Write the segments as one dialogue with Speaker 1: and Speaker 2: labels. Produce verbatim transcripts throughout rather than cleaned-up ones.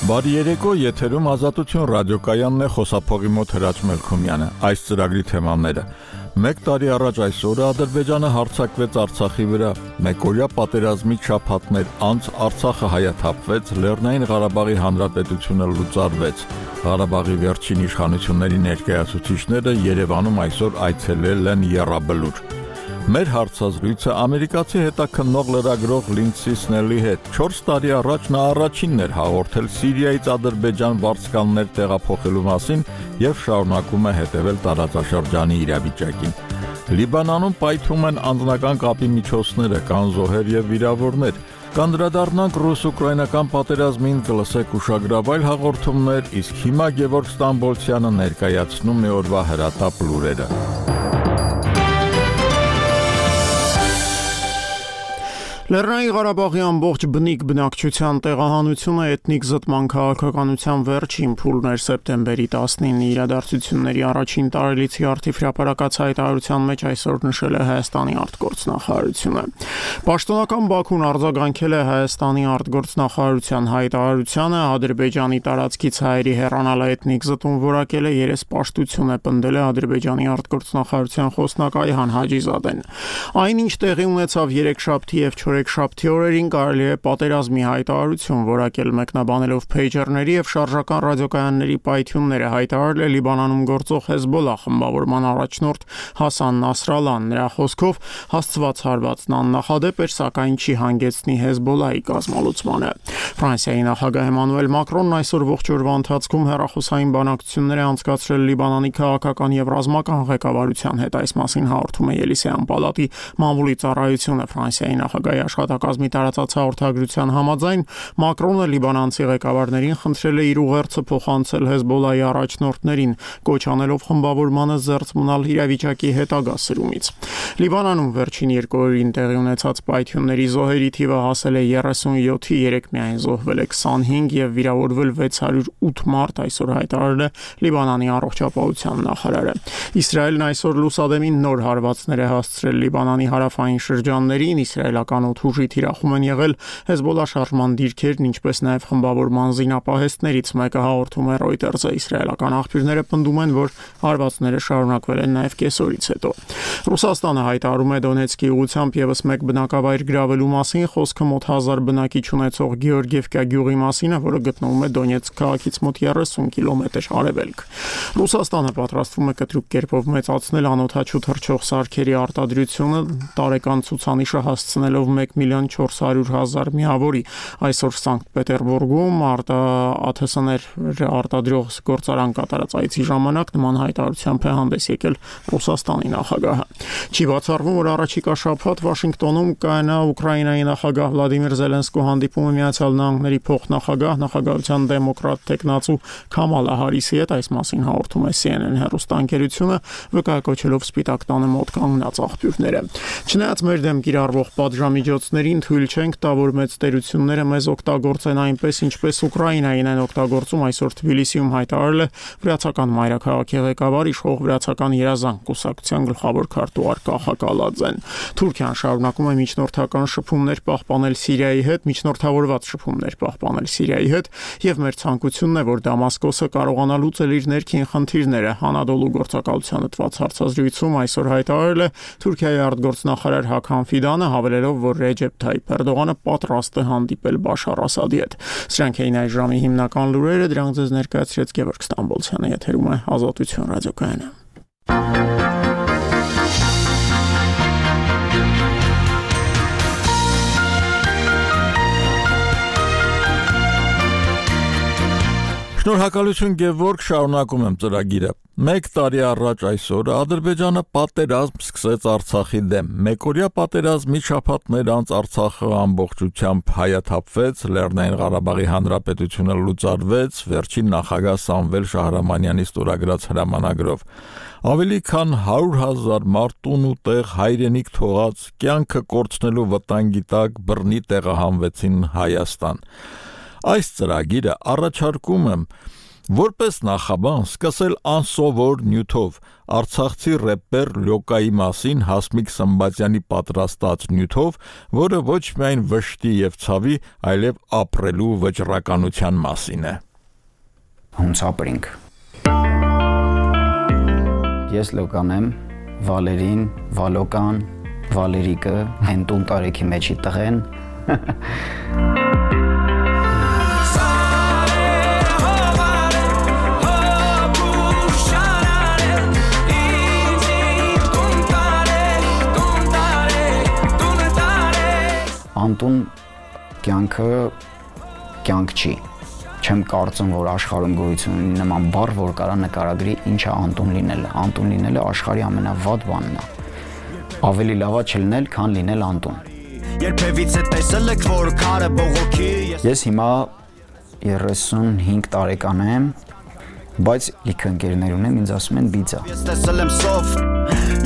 Speaker 1: Բարի երեկո, եթերում Ազատություն ռադիոկայանն է, խոսափողի մոտ Հրաչ Մելքոմյանը։ Այս ծրագրի թեմաները. Մեկ տարի առաջ այսօրը Ադրբեջանը հարձակվեց Արցախի վրա, մեկօրյա պատերազմի շաբաթներ անց Արցախը հայաթափվեց, Լեռնային Ղարաբաղի Հանրապետությունը լուծարվեց։ Ղարաբաղի վերջին իշխանությունների ներկայացուցիչները Երևանում այսօր այցելել են Եռաբլուր։ Մեր հարցազրույցը ամերիկացի հետաքննող լրագրող Լինդսի Սնելի հետ չորս տարի առաջ նա առաջինն էր հաղորդել Սիրիայից Ադրբեջան վարձկաններ տեղափոխելու մասին եւ շարունակում է հետևել տարածաշրջանի իրավիճակին։ Լիբանանում պայթում են անձնական կապի միջոցները, կան զոհեր եւ վիրավորներ։ Կանդրադառնանք ռուս-ուկրաինական պատերազմին, կլսեք ուշագրավայր հաղորդումներ, իսկ հիմա Գևորգ Ստամբոլցյանը ներկայացնում է օրվա հրատապ լուրերը։
Speaker 2: Լեռնային Ղարաբաղի ամբողջ բնիկ բնակչության տեղահանությունը էթնիկ զտման քաղաքականության վերջին փուլն էր սեպտեմբերի տասնինի իրադարձությունների առաջին տարելիցի արդիվ հրապարակած հայտարարության մեջ այսօր նշել է Հայաստանի արտգործնախարարությունը։ Պաշտոնական Բաքուն արձագանքել է Հայաստանի արտգործնախարարության հայտարարությանը, Ադրբեջանի տարածքից հայերի հեռանալը էթնիկ զտում որակել է երեսպաշտություն է պնդել է Ադրբեջանի արտգործնախարարության խոսնակ Այհան Հաջիզադեն։ Այնինչ տեղի ունեցավ երեքշաբթի եւ Շաբթի օրերին կարելի է պատերազմի հայտարարություն որակել մեկնաբանելով փեյջերների եւ շարժական ռադիոկայանների պայթյունները հայտարարել է Լիբանանում գործող Հեզբոլլահ խմբավորման առաջնորդ Հասան Նասրալլան։ Նրա խոսքով հասցված հարվածն աննախադեպ էր, սակայն չի հանգեցնի Հեզբոլլահի կազմալուծմանը։ Ֆրանսիայի նախագահ Էմանուել Մակրոնն այսօր ողջ օրվա ընթացքում հեռախոսային բանակցություններ է անցկացրել Լիբանանի քաղաքական եւ ռազմական ղեկավարության հետ։ Այս մասին հաղորդում է Ելիսեյան պալատի մամուլի ծառայությունը։ Ֆրանսիայի նախագահի աշխատակազմի տարածած հաղորդագրության համաձայն Մակրոնը լիբանանցի ղեկավարներին խնդրել է իր ուղերձը փոխանցել Հեզբոլլահի առաջնորդներին, կոչ անելով խմբավորմանը զերծ մնալ իրավիճակի հետագա սրումից։ Լիբանանում վերջին երկու օրերին տեղի ունեցած պայթյունների զոհերի թիվը հասել է երեսունյոթի, երեք միայն զոհվել է քսանհինգ եւ վիրավորվել վեց հարյուր ութ մարդ, այսօր հայտարարել է Լիբանանի առողջապահության նախարարը։ Իսրայելն այսօր լուսադեմին նոր հարվածներ է հասցրել Լիբանանի հարավային շրջաններին, իսրայելական օդուժի թիրախում են եղել Հեզբոլլահ շարժման դիրքերն, ինչպես նաև խմբավորման զինապահեստներից մեկը հաղորդում է Reuters-ը։ Իսրայելական աղբյուրները պնդում են, որ հարվածները շարունակվել են նաև կեսօրից հետո։ Ռուսաստանը հայտարարում է Դոնեցկի ուղղությամբ եւս մեկ բնակավայր գրավելու մասին, խոսքը մոտ հազար բնակիչ ունեցող Գեորգիևկա գյուղի մասին է, որը գտնվում է Դոնեցկ քաղաքից մոտ երեսուն կիլոմետր արևելք։ Ռուսաստանը պատրաստվում է կտրուկ կերպով մեծացնել անօդաչու թռչող սարքերի արտադրությունը, տարեկան ցուցանիշը հասցնելով մեկ միլիոն չորս հարյուր հազար միավորի։ Այսօր Սանկտ Պետերբուրգում ԱԹՍ-ներ արտադրող գործարան կատարած այցի ժամանակ նման հայտարարությամբ է հանդես եկել Ռուսաստանի նախագահը։ Չի բացառվում, որ առաջիկա շաբաթ Վաշինգտոնում կայանա Ուկրաինայի նախագահ Վլադիմիր Զելենսկու հանդիպումը Միացյալ Նահանգների փոխնախագահ նախագահության դեմոկրատ տեխնացու Քամալա Հարիսի հետ։ Այս մասին հաղորդում է C N N հեռուստաընկերությունը, վկայակոչելով Սպիտակ տանը մոտ կանգնած աղբյուրները։ Չնայած մեր դեմ կիրառվող պատժամիջոցներին թույլ չենք տա, որ մեծ տերությունները մեզ օգտագործեն այնպես, ինչպես Ուկրաինային են օգտագործում, այսօր Թբիլիսիում հայտարարել է վրացական մայրաքաղաքի ղեկավար իշխող վրացական երազանք կուսակցության գլխավոր քարտուղար Կախա Կալաձեն։ Թուրքիան շարունակում է միջնորդական շփումներ պահպանել Սիրիայի հետ, միջնորդավորված շփումներ պահպանել Սիրիայի հետ, եւ մեր ցանկությունն է, որ Դամասկոսը կարողանա լուծել իր ներքին խնդիրները։ Անադոլու գործակալությանը տված հարցազրույցում այսօր հայտարարել է Թուրքիայի արտգործնախարար Հաքան Ֆիդանը, հավելելով, որ Ռեջեփ Թայիփ Էրդողանը պատրաստ է հանդիպել Բաշար Ասադի հետ։ Սրանք էին այս ժամի հիմնական լուրերը, դրանք ձեզ ներկայացրեց Գևորգ Ստամբոլցյանը, եթերում է Ազատություն ռադիոկայանը։
Speaker 1: Շնորհակալություն Գևորգ, շարունակում եմ ծրագիրը։ Մեկ տարի առաջ այսօր Ադրբեջանը պատերազմ սկսեց Արցախի դեմ։ Մեկօրյա պատերազմի շաբաթներ անց Արցախը ամբողջությամբ հայաթափվեց, Լեռնային Ղարաբաղի Հանրապետությունը լուծարվեց, վերջին նախագահ Սամվել Շահրամանյանի ստորագրած հրամանագրով։ Ավելի քան հարյուր հազար մարդ տուն ու տեղ հայրենիք թողած, կյանքը կորցնելու վտանգի տակ բռնի տեղահանվեցին Հայաստան։ Այս ծրագիրը առաջարկում եմ Որպես նախաբան սկսել անսովոր նյութով արցախցի рэպեր Լյոկայի մասին Հասմիկ Սմբատյանի պատրաստած նյութով, որը ոչ միայն վշտի եւ ցավի, այլև ապրելու վճռականության մասին է։
Speaker 3: Հունց ապրինք։ Ես Լոկան եմ, Վալերին, Վալոկան, Վալերիկը, հենտուն տարեքի մեջի տղեն։ Անտուն կյանքը կյանք չի։ Չեմ կարծում, որ աշխարհում գոյություն ունի նման բառ, որ կարա նկարագրի ինչ է Անտուն լինելը։ Անտուն լինելը աշխարհի ամենավատ բանն է։ Ավելի լավ է չլինել, քան լինել Անտուն։ Երբևիցե տեսել եք, որ քարը բողոքի։ Ես հիմա երեսունհինգ տարեկան եմ, բայց լիքը ընկերներ ունեմ, ինձ ասում են բիձա։ Ես տեսել եմ սով,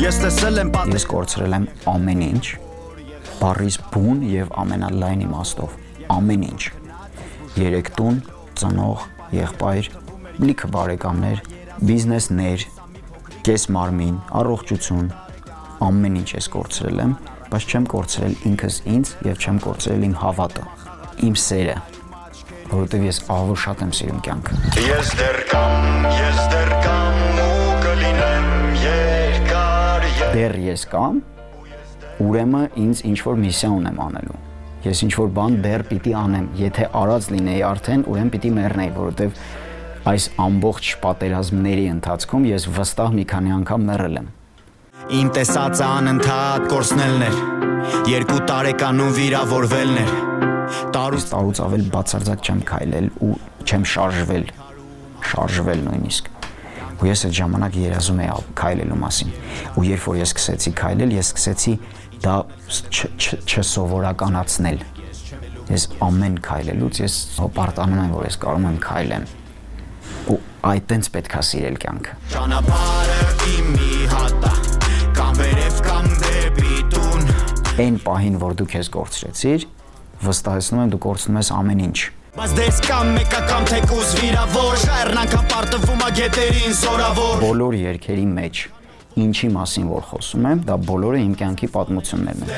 Speaker 3: ես տեսել եմ պատմել։ Ես կորցրել եմ ամեն ինչ։ Բարիս բուն եւ ամենալայն իմաստով ամեն ինչ երեք տուն ծնող եղբայր լիքը բարեկամներ բիզնեսներ կես մարմին առողջություն ամեն ինչ ես կորցրել եմ բայց չեմ կորցրել ինքս ինձ եւ չեմ կորցրել իմ հավատը իմ սերը որովհետեւ ես ահավոր շատ եմ սիրում կյանքը ես դեռ կամ ես դեռ կամ ու կլինեմ երկար դեռ ես կամ ուրեմն ինձ ինչ-որ միսիա ունեմ անելու։ Ես ինչ-որ բան դեռ պիտի անեմ, եթե արած լինեի արդեն, ուրեմն պիտի մեռնեի, որովհետև այս ամբողջ պատերազմների ընթացքում ես վստահ մի քանի անգամ մեռել եմ։ Իմ տեսածը անընդհատ կորցնելն էր, երկու տարեկանում վիրավորվելն էր։ Տարուց տարուց ավել բացարձակ չեմ քայլել ու չեմ շարժվել, շարժվել նույնիսկ։ Ու ես այդ ժամանակ երազում էի քայլելու մասին։ Ու երբ որ ես սկսեցի քայլել, ես սկսեցի դա չսովորականացնել։ Ես ամեն քայլելուց ես հպարտանում եմ, որ ես կարող եմ քայլեմ։ Ու այդտենց պետք է սիրել կյանքը։ Ճանապարհը իմ մի հատա, կամ վերև կամ դեպի տուն։ Այն պահին, որ դու քեզ կորցրեցիր, վստահեցնում եմ դու կորցնում ես ամեն ինչ։ Բայց դες կամ մեկա կամ թեկուզ վիրավոր, շարնանքա պարտվում ա գետերին զորավոր։ Բոլոր երգերի մեջ ինչի մասին որ խոսում եմ, դա բոլորը իմ կյանքի պատմություններն են։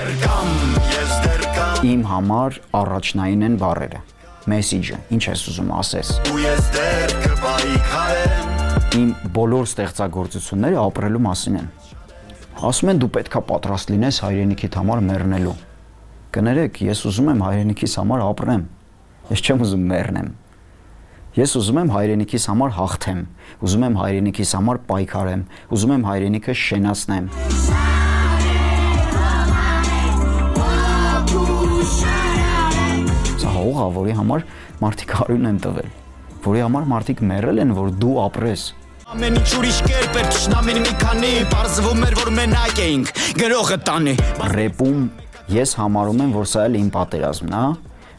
Speaker 3: Իմ համար առաջնային են բառերը, մեսիջը, ինչ ես ուզում ասես։ Իմ բոլոր ստեղծագործությունները ապրելու մասին են։ Ասում են դու պետքա պատրաստ լինես հայրենիքիդ համար մեռնելու։ Կներեք, ես ուզում եմ հայրենիքիս համար ապրեմ։ Ես չեմ ուզում մեռնեմ։ Ես ուզում եմ հայրենիքիս համար հաղթեմ, ուզում եմ հայրենիքիս համար պայքարեմ, ուզում եմ հայրենիքը շենացնեմ։ Սա հող է, որի համար մարդիկ արյուն են տվել, որի համար մարդիկ մեռել են, որ դու ապրես։ Ամեն ինչ ուրիշ կերպ էր, թշնամին մի քանի, պարզվում էր, որ մենակ էինք, գրողը տանի։ Ռեպում ես համարում եմ, որ սա էլ իմ պատերազմն է,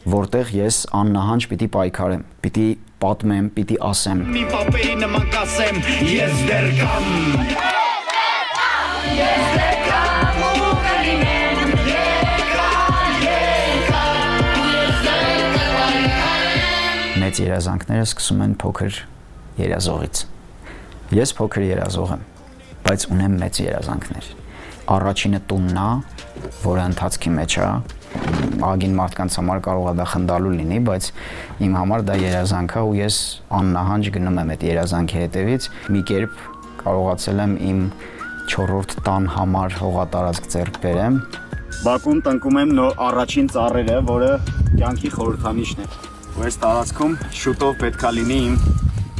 Speaker 3: որտեղ ես աննահանջ պիտի պայքարեմ, պիտի պատմեմ, պիտի ասեմ։ Մի պապերի նման կասեմ, ես դեռ կամ։ Ես դեռ կամ ու կլինեմ, երկար, երկար, ես դեռ կպայքարեմ։ Մեծ երազանքները սկսում են փոքր երազողից։ Ես փոքր երազող եմ, բայց ունեմ մեծ երազանքներ։ Առաջինը տունն է, որը ընթացքի մեջ է, ագին մարդկանց համար կարող է դա խնդալու լինի, բայց իմ համար դա երազանք է ու ես աննահանջ գնում եմ այդ երազանքի հետևից։ Մի կերպ կարողացել եմ իմ չորրորդ տան համար հողատարածք ձեռք բերեմ։ Բաքուն տնկում եմ նոր առաջին ծառերը, որը կյանքի խորհրդանիշն է։ Ու այս տարածքում շուտով պետքա լինի իմ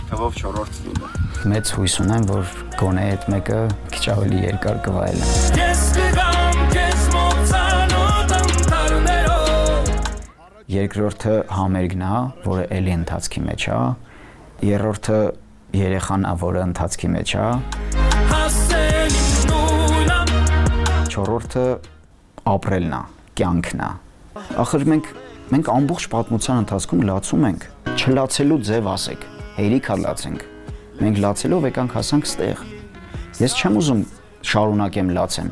Speaker 3: թվով չորրորդ տունը։ Մեծ հույս ունեմ, որ գոնե այդ մեկը քիչ ավելի երկար կվայելեմ։ Ես կգամ քեզ մոծանոտ անտառներով։ Երկրորդը համերգն է, որը էլի ընթացքի մեջ է։ Երրորդը երեխան է, որը ընթացքի մեջ է։ Չորրորդը ապրելն է, կյանքն է։ Ախր մենք մենք ամբողջ պատմության ընթացքում լացում ենք։ Չլացելու ձև ասեք, հերիքա լացենք։ Մենք լացելով եկանք հասանք ստեղ։ Ես չեմ ուզում շարունակեմ լացեմ։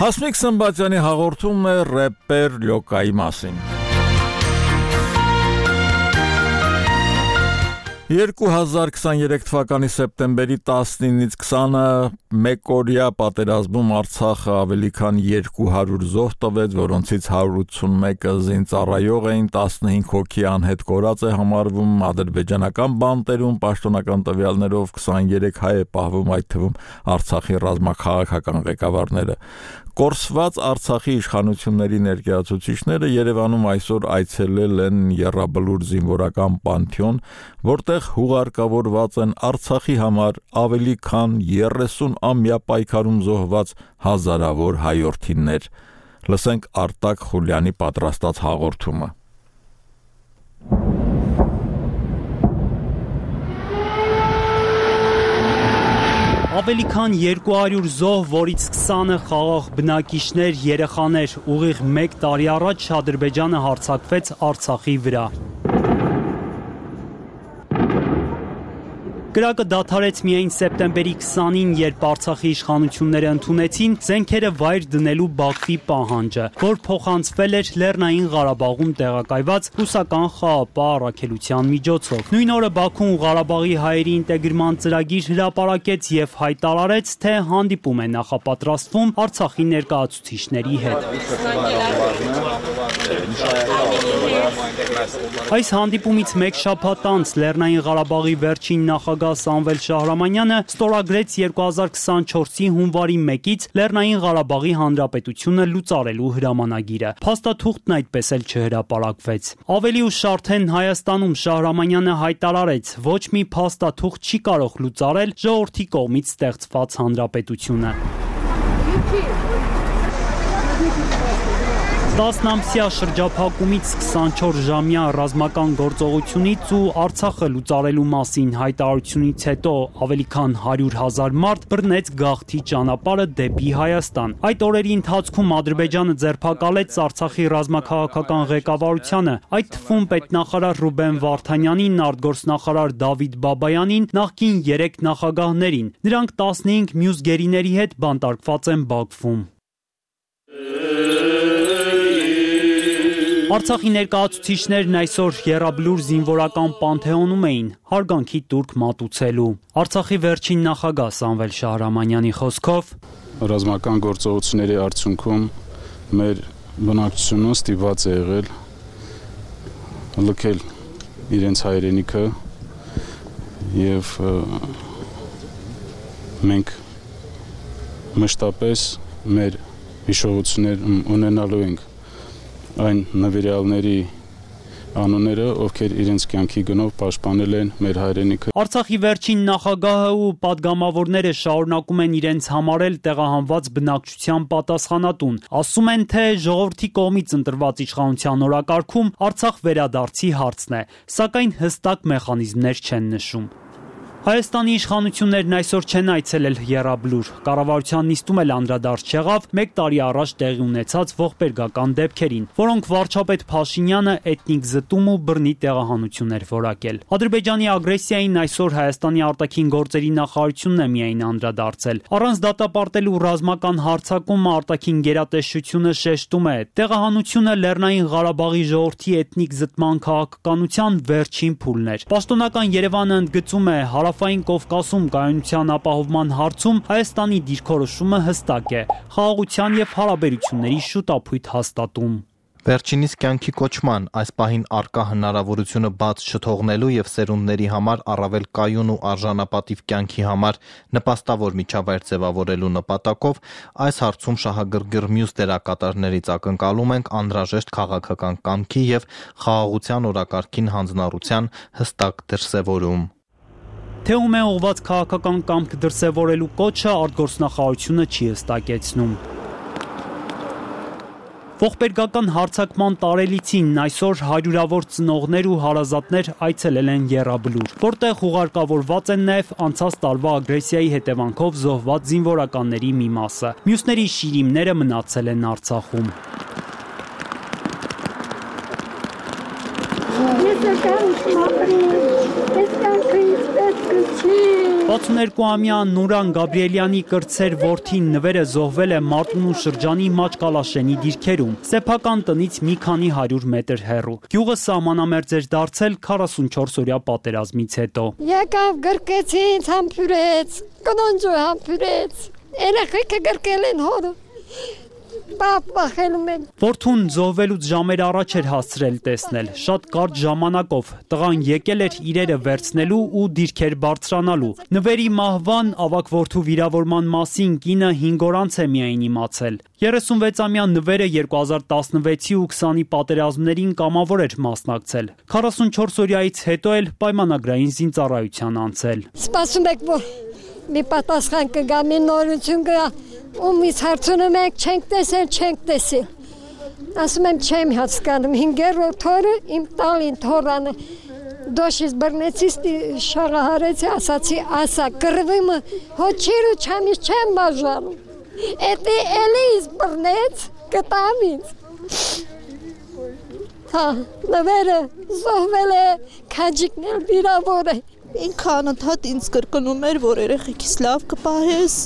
Speaker 1: Հասմիկ Սմբատյանի հաղորդումն է ռեպեր Լյոկայի մասին։ երկու հազար քսաներեք թվականի սեպտեմբերի տասնինից քսանը մեկօրյա պատերազմում Արցախը ավելի քան երկու հարյուր զոհ տվեց, որոնցից հարյուր ութսունմեկը զինծառայող էին, տասնհինգ հոգի անհետ կորած է համարվում, ադրբեջանական բանտերում պաշտոնական տվյալներով քսաներեք հայ է պահվում, այդ թվում Արցախի ռազմաքաղաքական ղեկավարները։ Կորսված Արցախի իշխանությունների ներկայացուցիչները Երևանում այսօր այցելել են Եռաբլուր զինվորական պանթեոն, որտեղ հուղարկավորված են Արցախի համար ավելի քան երեսուն-ամյա պայքարում զոհված հազարավոր հայրենիներ։ Լսենք Արտակ Խուլյանի պատրաստած հաղորդումը։
Speaker 4: Ավելի քան երկու հարյուր զոհ, որից քսանը խաղաղ բնակիչներ, երեխաներ, ուղիղ մեկ տարի առաջ Ադրբեջանը հարձակվեց Արցախի վրա։ Կրակը դադարեց միայն սեպտեմբերի քսանին, երբ Արցախի իշխանությունները ընդունեցին զենքերը վայր դնելու Բաքվի պահանջը, որ փոխանցվել էր Լեռնային Ղարաբաղում տեղակայված ռուսական խաղապահ առաքելության միջոցով։ Նույն օրը Բաքուն Ղարաբաղի հայերի ինտեգրման ծրագիր հրապարակեց եւ հայտարարեց, թե հանդիպում է նախապատրաստվում Արցախի ներկայացուցիչների հետ։ Այս հանդիպումից մեկ շաբաթ անց Լեռնային Ղարաբաղի վերջին նախագահ Սամվել Շահրամանյանը ստորագրեց երկու հազար քսանչորսի հունվարի մեկից Լեռնային Ղարաբաղի Հանրապետությունը լուծարելու հրամանագիրը։ Փաստաթուղթն այդպես էլ չհրապարակվեց։ Ավելի ուշ արդեն Հայաստանում Շահրամանյանը հայտարարեց, ոչ մի փաստաթուղթ չի կարող լուծարել ժողովրդի կողմից ստեղծված հանրապետությունը։ տասնամսյա շրջափակումից քսանչորս-ժամյա ռազմական գործողությունից ու Արցախը լուծարելու մասին հայտարարությունից հետո ավելի քան հարյուր հազար մարդ բռնեց գաղթի ճանապարհը դեպի Հայաստան։ Այդ օրերի ընթացքում Ադրբեջանը ձերբակալեց Արցախի ռազմաքաղաքական ղեկավարությանը, այդ թվում պետնախարար Ռուբեն Վարդանյանին, արտգործնախարար Դավիթ Բաբայանին, նախկին երեք նախագահներին։ Նրանք տասնհինգ մյուս գերիների հետ բանտարկված են Բաքվում։ Արցախի ներկայացուցիչներն այսօր Եռաբլուր զինվորական պանթեոնում էին հարգանքի տուրք մատուցելու։ Արցախի վերջին նախագահ Սամվել Շահրամանյանի խոսքով
Speaker 5: ռազմական գործողությունների արդյունքում մեր բնակչությունը ստիպված է եղել լքել իրենց հայրենիքը եւ մենք մշտապես մեր հիշողություններ ունենալու ենք այն նվիրյալների անունները, ովքեր իրենց կյանքի գնով պաշտպանել են մեր հայրենիքը։
Speaker 4: Արցախի վերջին նախագահը ու պատգամավորները շարունակում են իրենց համարել տեղահանված բնակչության պատասխանատուն։ Ասում են, թե ժողովրդի կողմից ընտրված իշխանության օրակարգում Արցախ վերադարձի հարցն է, սակայն հստակ մեխանիզմներ չեն նշում։ Հայաստանի իշխանություններն այսօր չեն այցելել Եռաբլուր։ Կառավարության նիստում էլ անդրադարձ չեղավ մեկ տարի առաջ տեղի ունեցած ողբերգական դեպքերին, որոնք վարչապետ Փաշինյանը էթնիկ զտում ու բռնի տեղահանություն էր որակել։ Ադրբեջանի ագրեսիային այսօր Հայաստանի արտաքին գործերի նախարարությունն է միայն անդրադարձել։ Առանց դատապարտելու ռազմական հարձակումը արտաքին գերատեսչությունը շեշտում է, տեղահանությունը Լեռնային Ղարաբաղի ժողովրդի էթնիկ զտման քաղաքականության վերջին փուլն էր։ Պաշտոնական Երևանը ընդգծում է Հարավային Կովկասում կայունության ապահովման հարցում Հայաստանի դիրքորոշումը հստակ է՝ խաղաղության եւ հարաբերությունների շուտապույտ հաստատում։
Speaker 6: Վերջինիս կյանքի կոչման, այս պահին առկա հնարավորությունը բաց չթողնելու եւ սերունդների համար առավել կայուն ու արժանապատիվ կյանքի համար նպաստավոր միջավայր ձևավորելու նպատակով այս հարցում շահագրգիռ մյուս դերակատարներից ակնկալում ենք անհրաժեշտ քաղաքական կամքի եւ խաղաղության օրակարգին հանձնառության հստակ դրսեւորում։
Speaker 4: Թե ում է ուղղված քաղաքական կամք դրսևորելու կոչը արտգործնախարարությունը չի հստակեցնում։ Ողբերգական հարձակման տարելիցին այսօր հարյուրավոր ծնողներ ու հարազատներ այցելել են Եռաբլուր, որտեղ ուղարկավորված են նաև անցած տարվա ագրեսիայի հետևանքով զոհված զինվորականների մի մասը։ Մյուսների շիրիմները մնացել են Արցախում։ վաթսունհինգամյա Նուրան Գաբրիելյանի կրտսեր որդին նվերը զոհվել է Մարտունու շրջանի Մաճկալաշենի դիրքերում, սեփական տնից մի քանի հարյուր մետր հեռու։ Գյուղը սահմանամերձ էր դարձել քառասունչորս-օրյա պատերազմից հետո։
Speaker 7: Եկավ գրկեց ինձ, համբուրեց, կնոնջը համբուրեց, երեխեքը գրկել են հորը։
Speaker 4: Որդուն զոհվելուց ժամեր առաջ էր հասցրել տեսնել, շատ կարճ ժամանակով, տղան եկել էր իրերը վերցնելու ու դիրքեր բարձրանալու։ Նվերի մահվան, ավագ որդու վիրավորման մասին կինը հինգ օր անց է միայն իմացել։ երեսունվեցամյա նվերը երկու հազար տասնվեցի ու քսանի պատերազմներին կամավոր էր մասնակցել։ քառասունչորս-օրյայից հետո էլ պայմանագրային զինծառայության անցել։
Speaker 7: Սպասում եք, որ մի պատասխան կգա, մի նորություն կգա, ումից հարցնում եք, չենք տեսել, չենք տեսել։ Ասում եմ, չեմ հասկանում, հինգերորդ օրը իմ տալին թորանը դոշից բռնեցիս շաղահարեցի, ասացի, ասա, կռվիմը հոչիր ու չամից չեմ բաժանում։ Էդի էլի իզ բռնեց, կտամ ինձ։ Հա, նվերը զոհվել է, քաջիկն էլ վիրավոր է։
Speaker 8: Ինքը անընդհատ ինձ կրկնում էր, որ երեխեքիս լավ կպահես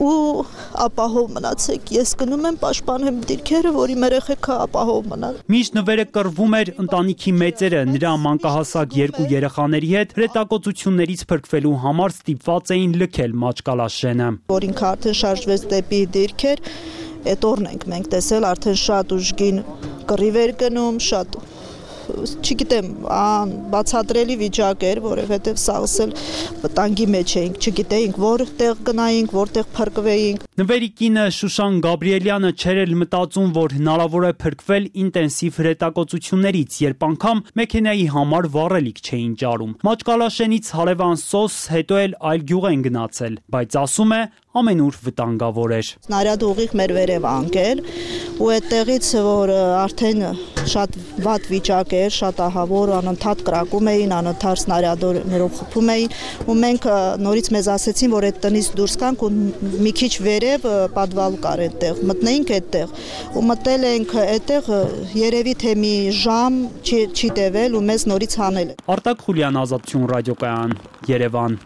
Speaker 8: ու ապահով մնացեք։ Ես գնում եմ պաշտպանեմ դիրքերը, որ իմ երեխեքը ապահով մնան։
Speaker 4: Միշտ նվերը կռվում էր ընտանիքի մեծերը, նրա մանկահասակ երկու երեխաների հետ հրետակոծություններից փրկվելու համար ստիպված էին լքել Մաճկալաշենը։
Speaker 8: Որ ինքը արդեն շարժվեց դեպի դիրքեր, այդ օրն ենք մենք տեսել, արդեն շատ ուժգին կռիվ էր գնում, շատ չգիտեմ, բացատրելի վիճակ էր, որովհետև սաղս էլ վտանգի մեջ էինք, չգիտեինք որտեղ գնայինք, որտեղ փրկվեինք։
Speaker 4: Նվերի կինը Շուշան Գաբրիելյանը չէր էլ մտածում, որ հնարավոր է փրկվել ինտենսիվ հրետակոծություններից, երբ անգամ մեքենայի համար վառելիք չէին ճարում։ Մաճկալաշենից հարևան Սոս, հետո էլ այլ գյուղ են գնացել, բայց ասում է, ամենուր վտանգավոր էր։
Speaker 8: Սնարյադը ուղիղ մեր վերև անկել ու այդտեղից, որ արդեն շատ վատ վիճակ էր, շատ ահավոր, անընդհատ կրակում էին, անընդհատ սնարյադներով խփում էին ու մենք նորից մեզ ասեցին, որ այդ տնից դուրս գանք ու մի քիչ վերև պատվալ կար այդտեղ, մտնեինք այդտեղ ու մտել ենք այդտեղ երևի թե մի ժամ չի տևել ու մեզ նորից հանել։
Speaker 4: Արտակ Խուլյան, Ազատություն ռադիոկայան, Երևան։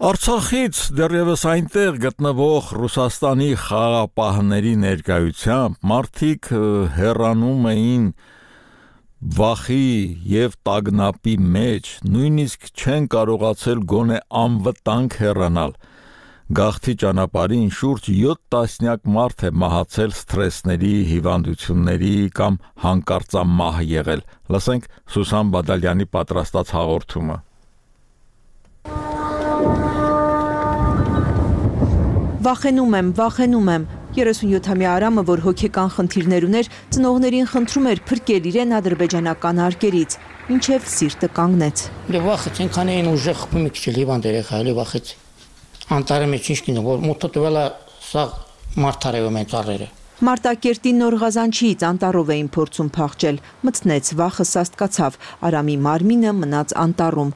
Speaker 1: Արցախից դեռևս այնտեղ գտնվող Ռուսաստանի խաղապահների ներկայությամբ մարդիկ հեռանում էին վախի եւ տագնապի մեջ, նույնիսկ չեն կարողացել գոնե անվտանգ հեռանալ։ Գաղթի ճանապարհին շուրջ յոթ տասնյակ մարդ է մահացել սթրեսների, հիվանդությունների կամ հանկարծամահ եղել։ Լսենք Սուսան Բադալյանի պատրաստած հաղորդումը։
Speaker 9: Վախենում եմ, վախենում եմ։ երեսունյոթամյա Արամը, որ հոգեկան խնդիրներ ուներ, ծնողներին խնդրում էր փրկել իրեն ադրբեջանական արկերից, ինչև սիրտը կանգնեց։
Speaker 10: Վախեց, այնքան էին ուժեղ խփում մի քիչ լիվան երեխա, էլի վախեց։ Անտարի մեջ ինչ կինը, որ մոթը տվելա սա մարտարևում են ծառերը։
Speaker 9: Մարտակերտի Նոր Ղազանչիից անտառով էին փորձում փախչել, մտցնեց, վախը սաստկացավ, Արամի մարմինը մնաց անտառում։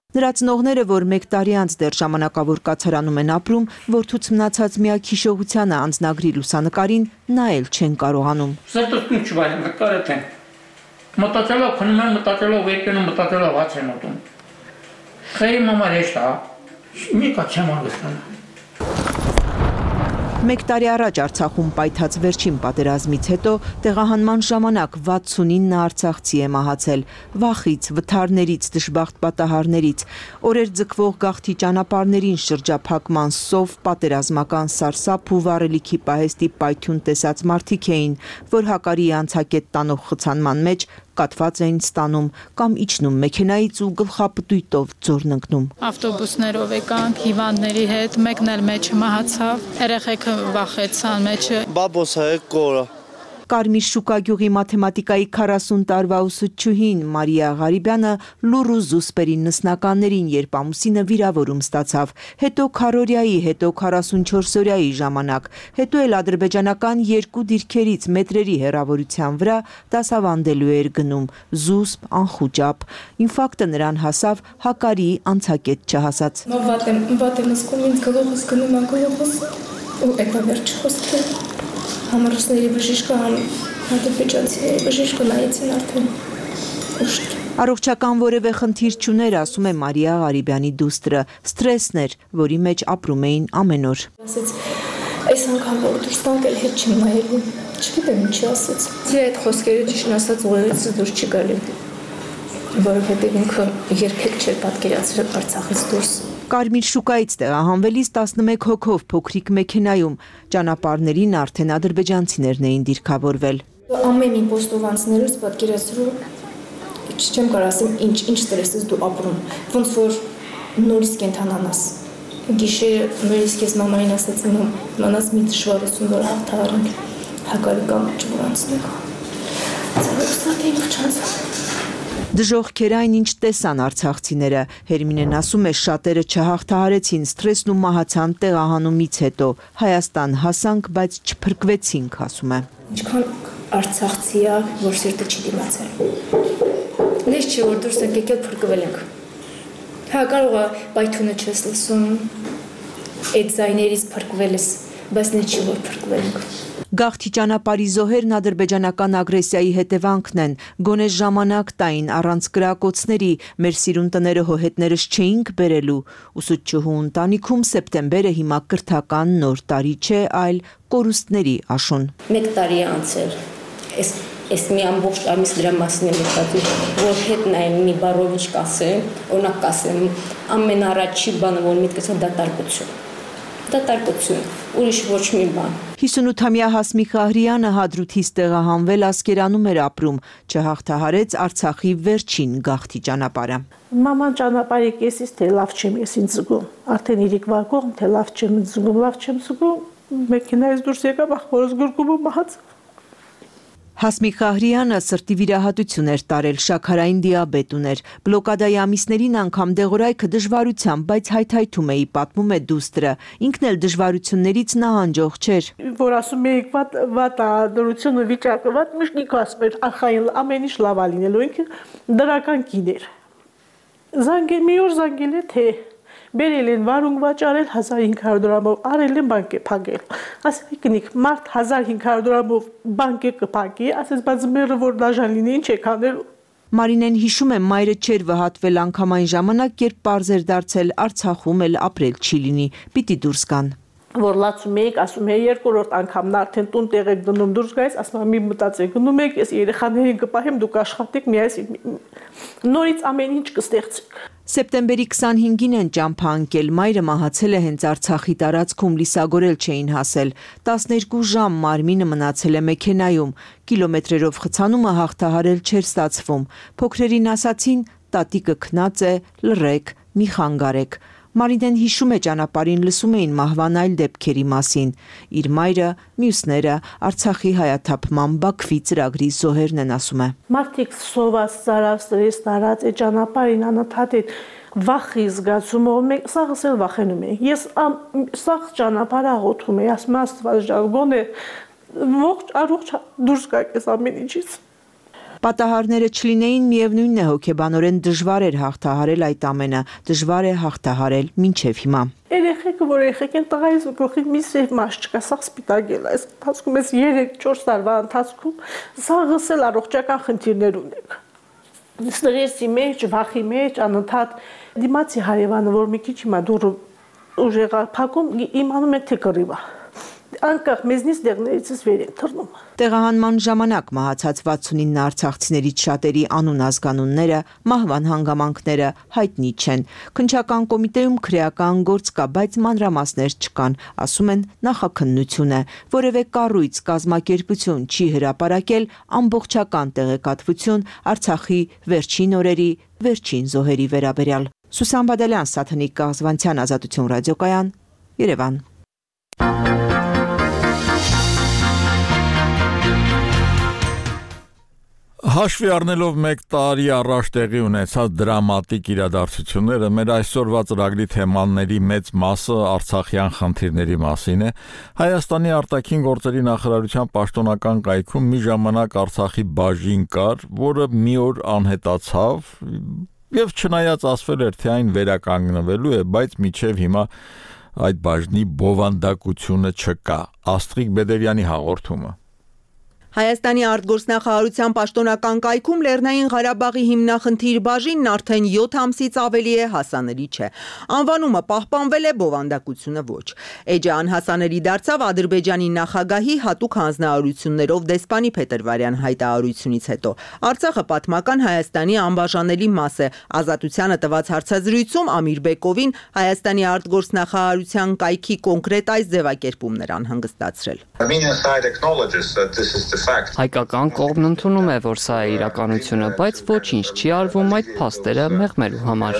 Speaker 9: Նրա ծնողները, որ մեկ տարի անց դեռ ժամանակավոր կացարանում են ապրում, որդուց մնացած միակ հիշողությանը անձնագրի լուսանկարին նայել չեն կարողանում։
Speaker 10: Սրտս ինչ վայր նկարել են։ Մտածելով քնում եմ, մտածելով եկնում, մտածելով հաց եմ ուտում։ Խերի մամա հեշտ է, մի կա չեմ անգստանում։
Speaker 9: Մեկ տարի առաջ Արցախում պայթած վերջին պատերազմից հետո տեղահանման ժամանակ վաթսունինը արցախցի է մահացել, վախից, վթարներից, դժբախտ պատահարներից, օրեր ձգվող գաղթի ճանապարհներին շրջափակման սով, պատերազմական սարսափ ու վառելիքի պահեստի պայթյուն տեսած մարդիկ էին, որ հակարի անցակետ տանող խցանման մեջ կատված էին ստանում կամ իջնում մեքենայից ու գլխապտույտով ձորն ընկնում։
Speaker 11: Ավտոբուսներով եկանք հիվանդների հետ, մեկն էլ մեջը մահացավ, երեխեքը վախեցան մեջը։
Speaker 12: Բաբոսը կորը։
Speaker 9: Կարմիր շուկա գյուղի մաթեմատիկայի քառասուն տարվա ուսուցչուհին Մարիա Ղարիբյանը լուռ ու զուսպերի նսնականներին, երբ ամուսինը վիրավորում ստացավ, հետո քառօրյայի, հետո քառասունչորսօրյայի ժամանակ, հետո էլ ադրբեջանական երկու դիրքերից մետրերի հեռավորության վրա դասավանդելու էր գնում, զուսպ, անխուճապ։ Ինֆարկտը նրան հասավ հակարի անցակետ չհասած։
Speaker 13: Վատ եմ, վատ եմ զգում, ինձ գլուխս գնում է գլուխս ու էկա վերջ խոսքը։
Speaker 12: համառուսների բժիշկը, համ ադրբեջանցիների բժիշկը նայեցին արդեն ուշք։
Speaker 9: Առողջական որևէ խնդիր չուներ, ասում է Մարիա Ղարիբյանի դուստրը, ստրեսն էր, որի մեջ ապրում էին ամեն օր։
Speaker 12: Ասեց, այս անգամ որ դուրս տանք էլ հետ չեմ նայելու, չգիտեմ ինչի ասեց։ Ձեր այդ խոսքերը ճիշտ ասած ուղեղից դուրս չի գալի, որովհետև ինքը երբեք չէր պատկերացրել Արցախից դուրս։
Speaker 9: Կարմիր շուկայից տեղահանվելիս տասնմեկ հոգով փոքրիկ մեքենայում, ճանապարհներին արդեն ադրբեջանցիներն էին դիրքավորվել։
Speaker 12: Ամեն մի պոստով անցնելուց պատկերացրու չեմ կարող ասեմ ինչ ինչ ստրես ես դու ապրում, ոնց որ նորից կենթանանաս։ Գիշերը նորից ես մամային ասացի, մանաս մի դժվարություն որ հաղթահարենք, հակարի կամ չվրանցնենք։ Ցավոք ինձ չանցա։
Speaker 9: Դժոխքեր այն ինչ տեսան արցախցիները, Հերմինեն ասում է շատերը չհաղթահարեցին ստրեսն ու մահացան տեղահանումից հետո, Հայաստան հասանք, բայց չփրկվեցինք, ասում է։
Speaker 12: Ինչքան արցախցիա, որ սիրտը չի դիմացել։ Լեզ չէ, որ դուրս ենք եկել փրկվել ենք։ Հա կարող է պայթունը չես լսում, այդ ձայներից փրկվել ես, բայց նա չի որ փրկվել ենք։
Speaker 9: Գաղթի ճանապարհի զոհերն ադրբեջանական ագրեսիայի հետևանքն են, գոնե ժամանակ տային առանց կրակոցների, մեր սիրուն տները հոհետներս չէինք բերելու, ուսուցչուհու ընտանիքում սեպտեմբերը հիմա կրթական նոր տարի չէ, այլ կորուստների աշուն։
Speaker 13: Մեկ տարի է անցել, ես Ես մի ամբողջ ամիս դրա մասին եմ մտածում, որ հետ նայեմ մի բառով ինչ կասեմ, օրինակ կասեմ, ամենառաջի բանը, որ միտքս է դատարկություն։ Դատարկություն, ուրիշ ոչ մի բան։
Speaker 9: հիսունութամյա Հասմիկ Ղահրյանը Հադրութից տեղահանվել Ասկերանում էր ապրում, չհաղթահարեց Արցախի վերջին գաղթի ճանապարհը։
Speaker 14: Մաման ճանապարհի կեսից թե լավ չեմ ես ինձ զգում, արդեն իրիկ վարկողմ, թե լավ չեմ զգում, լավ չեմ զգում, մեքենայից դուրս եկավ, ախորս գրկում ու մահաց։
Speaker 9: Հասմիկ Ղահրյանը սրտի վիրահատություն էր տարել, շաքարային դիաբետ ուներ, բլոկադայի ամիսներին անգամ դեղորայքը դժվարությամբ, բայց հայթայթում էի, պատմում է դուստրը, ինքն էլ դժվարություններից նահանջող չէր։
Speaker 14: Որ ասում էիք վատ վատ դրությունը վիճակը վատ, միշտ ինքը ասում էր արխային ամեն ինչ լավ է լինելու, ինքը դրական կին էր։ Զանգել մի օր զանգել է թե բերել են վարունգ վաճառել հազար հինգ հարյուր դրամով, արել են բանկ է փակել։ Ասել կնիկ մարդ հազար հինգ հարյուր դրամով բանկ է կփակի, ասես բայց մերը որ դաժան լինի ինչ եք անելու։
Speaker 9: Մարինեն հիշում է մայրը չէր վհատվել անգամ այն ժամանակ, երբ պարզ էր դարձել Արցախում էլ ապրել չի լինի, պիտի դուրս գան։
Speaker 14: Որ լացում էիք, ասում է երկրորդ անգամն արդեն տուն տեղ եք դնում դուրս գայիս, ասում եմ մի մտածեք գնում եք, ես երեխաներին կպահեմ, դուք աշխատեք, միայն նորից ամեն ինչ կստեղծեք։
Speaker 9: Սեպտեմբերի քսանհինգին են ճամփա ընկել, մայրը մահացել է հենց Արցախի տարածքում, լիսագորել չէին հասել, տասներկու ժամ մարմինը մնացել է մեքենայում, կիլոմետրերով խցանումը հաղթահարել չէր ստացվում, փոքրերին ասացին, տատիկը քնած է, լռեք, մի խանգարեք։ Մարինեն հիշում է ճանապարհին լսում էին մահվան այլ դեպքերի մասին, իր մայրը, մյուսները, Արցախի հայաթափման Բաքվի ծրագրի զոհերն են ասում է։
Speaker 14: Մարդիկ սոված, ծարավ, ստրես տարած է ճանապարհին անընդհատ է վախի զգացումով, մենք սաղս էլ վախենում ենք։ Ես սաղ ճանապարհը աղոթում եմ, ասում եմ Աստված ջան, գոնե ողջ առողջ դուրս գաք այս ամեն ինչից։
Speaker 9: Պատահարները չլինեին, միևնույնն է հոգեբանորեն դժվար էր հաղթահարել այդ ամենը, դժվար է հաղթահարել մինչև հիմա։
Speaker 14: Երեխեքը, որ երեխեք են տղայից ու գլխի մի սև մաս չկա, սաղ սպիտակ էլ այս ընթացքում ես երեք չորս տարվա ընթացքում սաղս էլ առողջական խնդիրներ ունենք։ Ստրեսի մեջ, վախի մեջ, անընդհատ դիմացի հարևանը, որ մի քիչ հիմա դուրը ուժեղ փակում, իմանում է թե կռիվա։ Անկախ մեզնից դեղներից վեր են թռնում։
Speaker 9: Տեղահանման ժամանակ մահացած վաթսունինը արցախցիներից շատերի անուն ազգանունները, մահվան հանգամանքները հայտնի չեն։ Քննչական կոմիտեում քրեական գործ կա, բայց մանրամասներ չկան, ասում են նախաքննություն է, որևէ կառույց, կազմակերպություն չի հրապարակել ամբողջական տեղեկատվություն Արցախի վերջին օրերի, վերջին զոհերի վերաբերյալ։ Սուսան Բադալյան, Սաթնիկ Կաղզվանցյան, Ազատություն ռադիոկայան, Երևան։
Speaker 1: Հաշվի առնելով մեկ տարի առաջ տեղի ունեցած դրամատիկ իրադարձությունները, մեր այսօրվա ծրագրի թեմաների մեծ մասը արցախյան խնդիրների մասին է։ Հայաստանի արտաքին գործերի նախարարության պաշտոնական կայքում մի ժամանակ Արցախի բաժին կար, որը մի օր անհետացավ, եւ չնայած ասվել էր, թե այն վերականգնվելու է, բայց մինչև հիմա այդ բաժնի բովանդակությունը չկա։ Աստղիկ Բեդերյանի հաղորդումը։
Speaker 9: Հայաստանի արտգործնախարարության պաշտոնական կայքում Լեռնային Ղարաբաղի հիմնախնդիր բաժինն արդեն յոթ ամսից ավելի է հասանելի չէ։ Անվանումը պահպանվել է, բովանդակությունը ոչ։ Էջը անհասանելի դարձավ Ադրբեջանի նախագահի հատուկ հանձնարարություններով դեսպանի Փետրվարյան հայտարարությունից հետո։ Արցախը պատմական Հայաստանի անբաժանելի մաս է։ Ազատությանը տված հարցազրույցում Ամիր Բեկովին Հայաստանի արտգործնախարարության կայքի կոնկրետ այս ձևակերպումն էր անհանգստացրել։
Speaker 15: Հայկական կողմն ընդունում է, որ սա է իրականությունը, բայց ոչինչ չի արվում այդ փաստերը մեղմելու համար։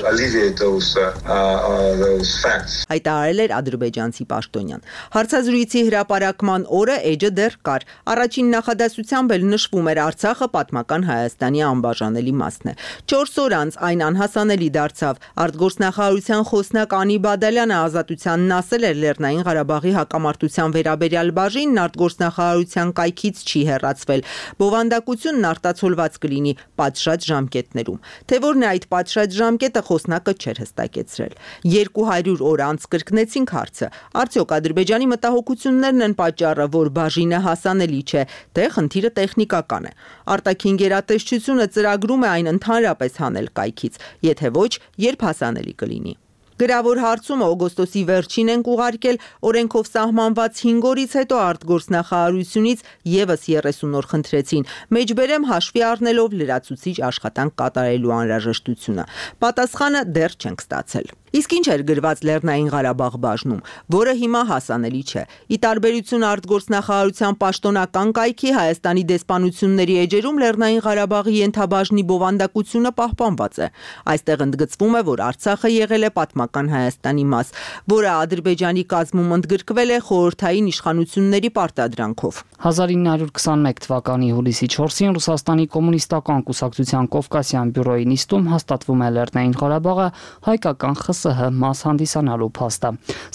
Speaker 9: Հայտարարել էր ադրբեջանցի պաշտոնյան։ Հարցազրույցի հրապարակման օրը էջը դեռ կար։ Առաջին նախադասությամբ էլ նշվում էր Արցախը պատմական Հայաստանի անբաժանելի մասն է։ Չորս օր անց այն անհասանելի դարձավ։ Արտգործնախարարության խոսնակ Անի Բադալյանը Ազատությանն ասել էր Լեռնային Ղարաբաղի հակամարտության վերաբերյալ բաժինն արտգործնախարարության կայքից չի հեռացվել։ Բովանդակությունն արտացոլված կլինի պատշաճ ժամկետներում։ Թե որն է այդ պատշաճ ժամկետը, խոսնակը չէր հստակեցրել։ երկու հարյուր օր անց կրկնեցինք հարցը։ Արդյոք Ադրբեջանի մտահոգություններն են պատճառը, որ բաժինը հասանելի չէ, թե խնդիրը տեխնիկական է։ Արտաքին գերատեսչությունը ծրագրում է այն ընդհանրապես հանել կայքից, եթե ոչ, երբ հասանելի կլինի։ Գրավոր հարցումը օգոստոսի վերջին ենք ուղարկել, օրենքով սահմանված հինգ օրից հետո արտգործնախարարությունից եւս երեսուն օր խնդրեցին, մեջբերեմ հաշվի առնելով լրացուցիչ աշխատանք կատարելու անհրաժեշտությունը։ Պատասխանը դեռ չենք ստացել։ Իսկ ինչ էր գրված Լեռնային Ղարաբաղ բաժնում, որը հիմա հասանելի չէ։ Ի տարբերություն արտգործնախարարության պաշտոնական կայքի, Հայաստանի դեսպանությունների էջերում Լեռնային Ղարաբաղի ենթաբաժնի բովանդակությունը պահպանված է։ Այստեղ ընդգծվում է, որ Արցախը եղել է պատմական Հայաստանի մաս, որը Ադրբեջանի կազմում ընդգրկվել է խորհրդային իշխանությունների պարտադրանքով։
Speaker 15: հազար ինը հարյուր քսաներեք թվականի հուլիսի չորսին Ռուսաստանի կոմունիստական կուսակցության Կովկասյան բյուրոյի նիստում հաստատվում է Լեռնային Ղարաբաղը հայկական ԽՍՀ մաս հանդիսանալու փաստը։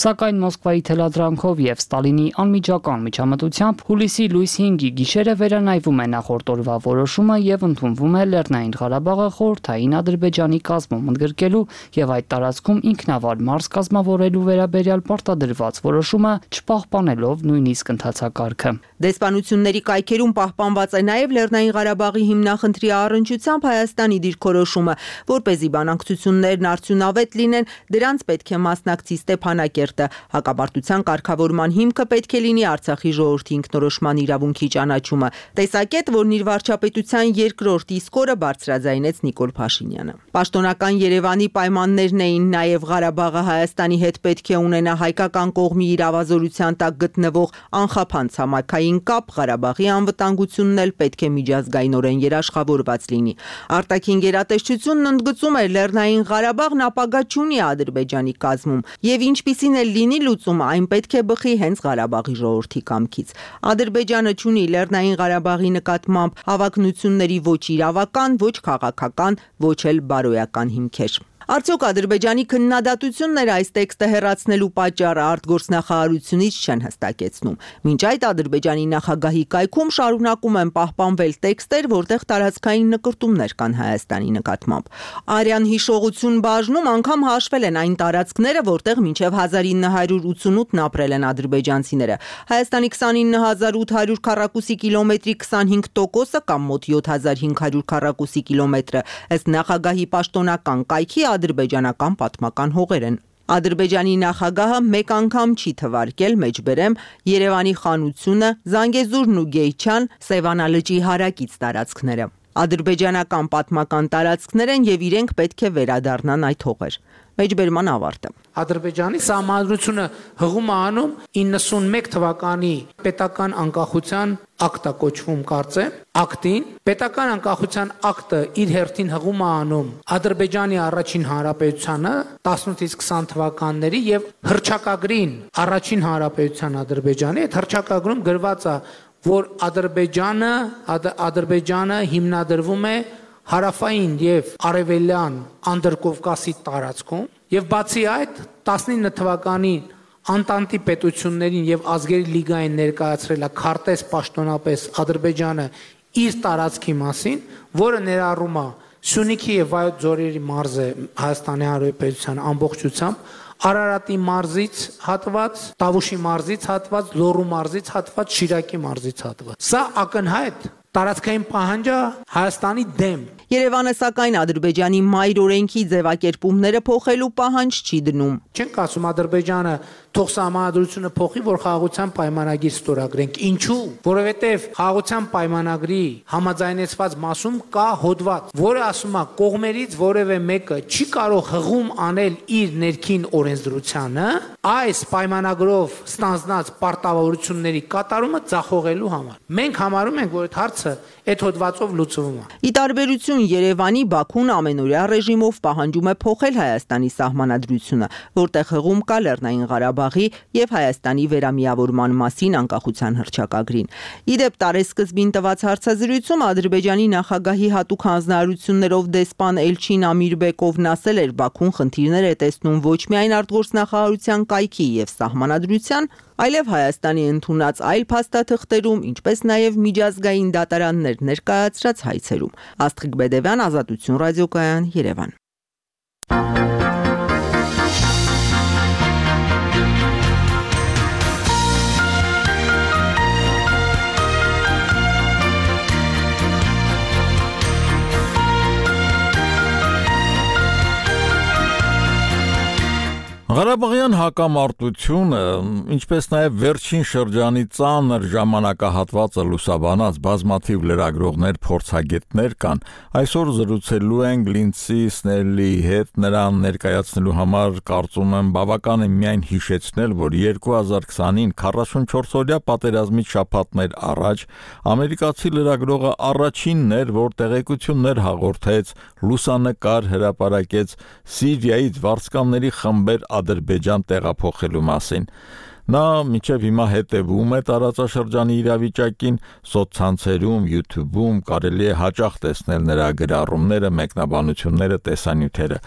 Speaker 15: Սակայն Մոսկվայի թելադրանքով եւ Ստալինի անմիջական միջամտությամբ հուլիսի լույս հինգի գիշերը վերանայվում է նախորդ օրվա որոշումը եւ ընդունվում է Լեռնային Ղարաբաղը խորհրդային Ադրբեջանի կազմում ընդգրկելու եւ այդ տարածքում ինքնավար մարզ կազմավորելու վերաբերյալ պարտադրված որոշումը չպահպանելով նույնիսկ ընթացակարգը։
Speaker 9: Դեսպանությունների կայքերում պահպանված է նաև Լեռնային Ղարաբաղի հիմնախնդրի առնչությամբ Հայաստանի դիրքորոշումը, որպեսզի բանակցություններն արդյունավետ լինեն, դրանց պետք է մասնակցի Ստեփանակերտը։ Հակապարտության կարգավորման հիմքը պետք է լինի Արցախի ժողովրդի ինքնորոշման իրավունքի ճանաչումը։ Տեսակետ, որն իր վարչապետության երկրորդ իսկ օրը բարձրաձայնեց Նիկոլ Փաշինյանը։ Պաշտոնական Երևանի պայմաններն էին նաև Ղարաբաղը Հայաստանի հետ պետք է ունենա հայկական կողմի իրավազորության տակ գտնվող անխափան ցամաքային կապ, Ղարաբաղի անվտանգությունն էլ պետք է միջազգայինորեն երաշխավորված լինի։ Արտաքին գերատեսչությունն ընդգծում է Լեռնային Ղարաբաղն ապագա չունի Ադրբեջանի կազմում, եւ ինչպիսին էլ լինի լուծումը, այն պետք է բխի հենց Ղարաբաղի ժողովրդի կամքից։ Ադրբեջանը չունի Լեռնային Ղարաբաղի նկատմամբ հավակնությունների ոչ իրավական, ոչ քաղաքական, ոչ էլ բարոյական հիմքեր։ Արդյոք Ադրբեջանի քննադատությունները այս տեքստը հեռացնելու պատճառը արտգործնախարարությունից չեն հստակեցնում։ Մինչ այդ Ադրբեջանի նախագահի կայքում շարունակում են պահպանվել տեքստեր, որտեղ տարածքային նկրտումներ կան Հայաստանի նկատմամբ։ Արյան հիշողություն բաժնում անգամ հաշվել են այն տարածքները, որտեղ մինչև հազար ինը հարյուր ութսունութն ապրել են ադրբեջանցիները։ Հայաստանի քսանինը հազար ութ հարյուր քառակուսի կիլոմետրի քսանհինգ տոկոսը կամ մոտ յոթ հազար հինգ հարյուր քառակուսի կիլոմետրը ըստ նախագահի պաշտոնական կայքի ադրբեջանական պատմական հողեր են։ Ադրբեջանի նախագահը մեկ անգամ չի թվարկել մեջբերեմ Երևանի խանությունը, Զանգեզուրն ու Գեյչան, Սևանա լճի հարակից տարածքները։ Ադրբեջանական պատմական տարածքներ են եւ իրենք պետք է վերադառնան այդ հողեր։ Մեջբերման ավարտը։
Speaker 16: Ադրբեջանի սահմանադրությունը հղում է անում իննսունմեկ թվականի պետական անկախության ակտա կոչվում կարծեմ, ակտին, պետական անկախության ակտը իր հերթին հղում է անում Ադրբեջանի առաջին հանրապետությանը տասնութից քսան թվականների եւ հռչակագրին առաջին հանրապետության Ադրբեջանի, այդ հռչակագրում գրված է, որ Ադրբեջանը, Ադրբեջանը հիմնադրվում է հարավային եւ արևելյան Անդրկովկասի տարածքում եւ բացի այդ տասնինը թվականին Անտանտի պետություններին եւ ազգերի լիգային ներկայացրել է քարտեզ պաշտոնապես Ադրբեջանը իր տարածքի մասին, որը ներառում է Սյունիքի եւ Վայոց ձորերի մարզը Հայաստանի Հանրապետության ամբողջությամբ, Արարատի մարզից հատված, Տավուշի մարզից հատված, Լոռու մարզից հատված, Շիրակի մարզից հատված։ Սա ակնհայտ տարածքային պահանջ է Հայաստանի դեմ։
Speaker 9: Երևանը սակայն Ադրբեջանի մայր օրենքի ձևակերպումները փոխելու պահանջ չի դնում։
Speaker 16: Չենք ասում Ադրբեջանը թող սահմանադրությունը փոխի, որ խաղաղության պայմանագիր ստորագրենք։ Ինչու՞։ Որովհետև խաղաղության պայմանագրի համաձայնեցված մասում կա հոդված, որը ասում է կողմերից որևէ մեկը չի կարող հղում անել իր ներքին օրենսդրությանը այս պայմանագրով ստանձնած պարտավորությունների կատարումը ձախողելու համար։ Մենք համարում ենք, որ այդ հարցը այդ հոդվածով լուծվում է։
Speaker 9: Ի տարբերություն Երևանի, Բաքուն ամենօրյա ռեժիմով պահանջում է փոխել Հայաստանի սահմանադրությունը, որտեղ հղում կա Լեռնային Ղարաբաղի եւ Հայաստանի վերամիավորման մասին անկախության հռչակագրին։ Ի դեպ, տարեսկզբին տված հարցազրույցում Ադրբեջանի նախագահի հատուկ հանձնարարություններով դեսպան Էլչին Ամիրբեկովն ասել էր, Բաքուն խնդիրներ է տեսնում ոչ միայն արտգործնախարարության կայքի եւ սահմանադրության, այլև Հայաստանի ընդունած այլ փաստաթղթերում, ինչպես նաև միջազգային դատարաններ ներկայացրած հայցերում։ Աստղիկ Բեդևյան, Ազատություն ռադիոկայան, Երևան։
Speaker 1: Ղարաբաղյան հակամարտությունը, ինչպես նաև վերջին շրջանի ծանր ժամանակահատվածը լուսաբանած բազմաթիվ լրագրողներ, փորձագետներ կան, այսօր զրուցելու ենք Լինդսի Սնելլիի հետ, նրան ներկայացնելու համար կարծում եմ բավական է միայն հիշեցնել, որ երկու հազար քսանին քառասունչորս-օրյա պատերազմից շաբաթներ առաջ ամերիկացի լրագրողը առաջինն էր, որ տեղեկություններ հաղորդեց, լուսանկար հրապարակեց Սիրիայից վարձկանների խմբեր Ադրբեջան տեղափոխելու մասին։ Նա մինչև հիմա հետևում է տարածաշրջանի իրավիճակին, սոցցանցերում, YouTube-ում կարելի է հաճախ տեսնել նրա գրառումները, մեկնաբանությունները, տեսանյութերը։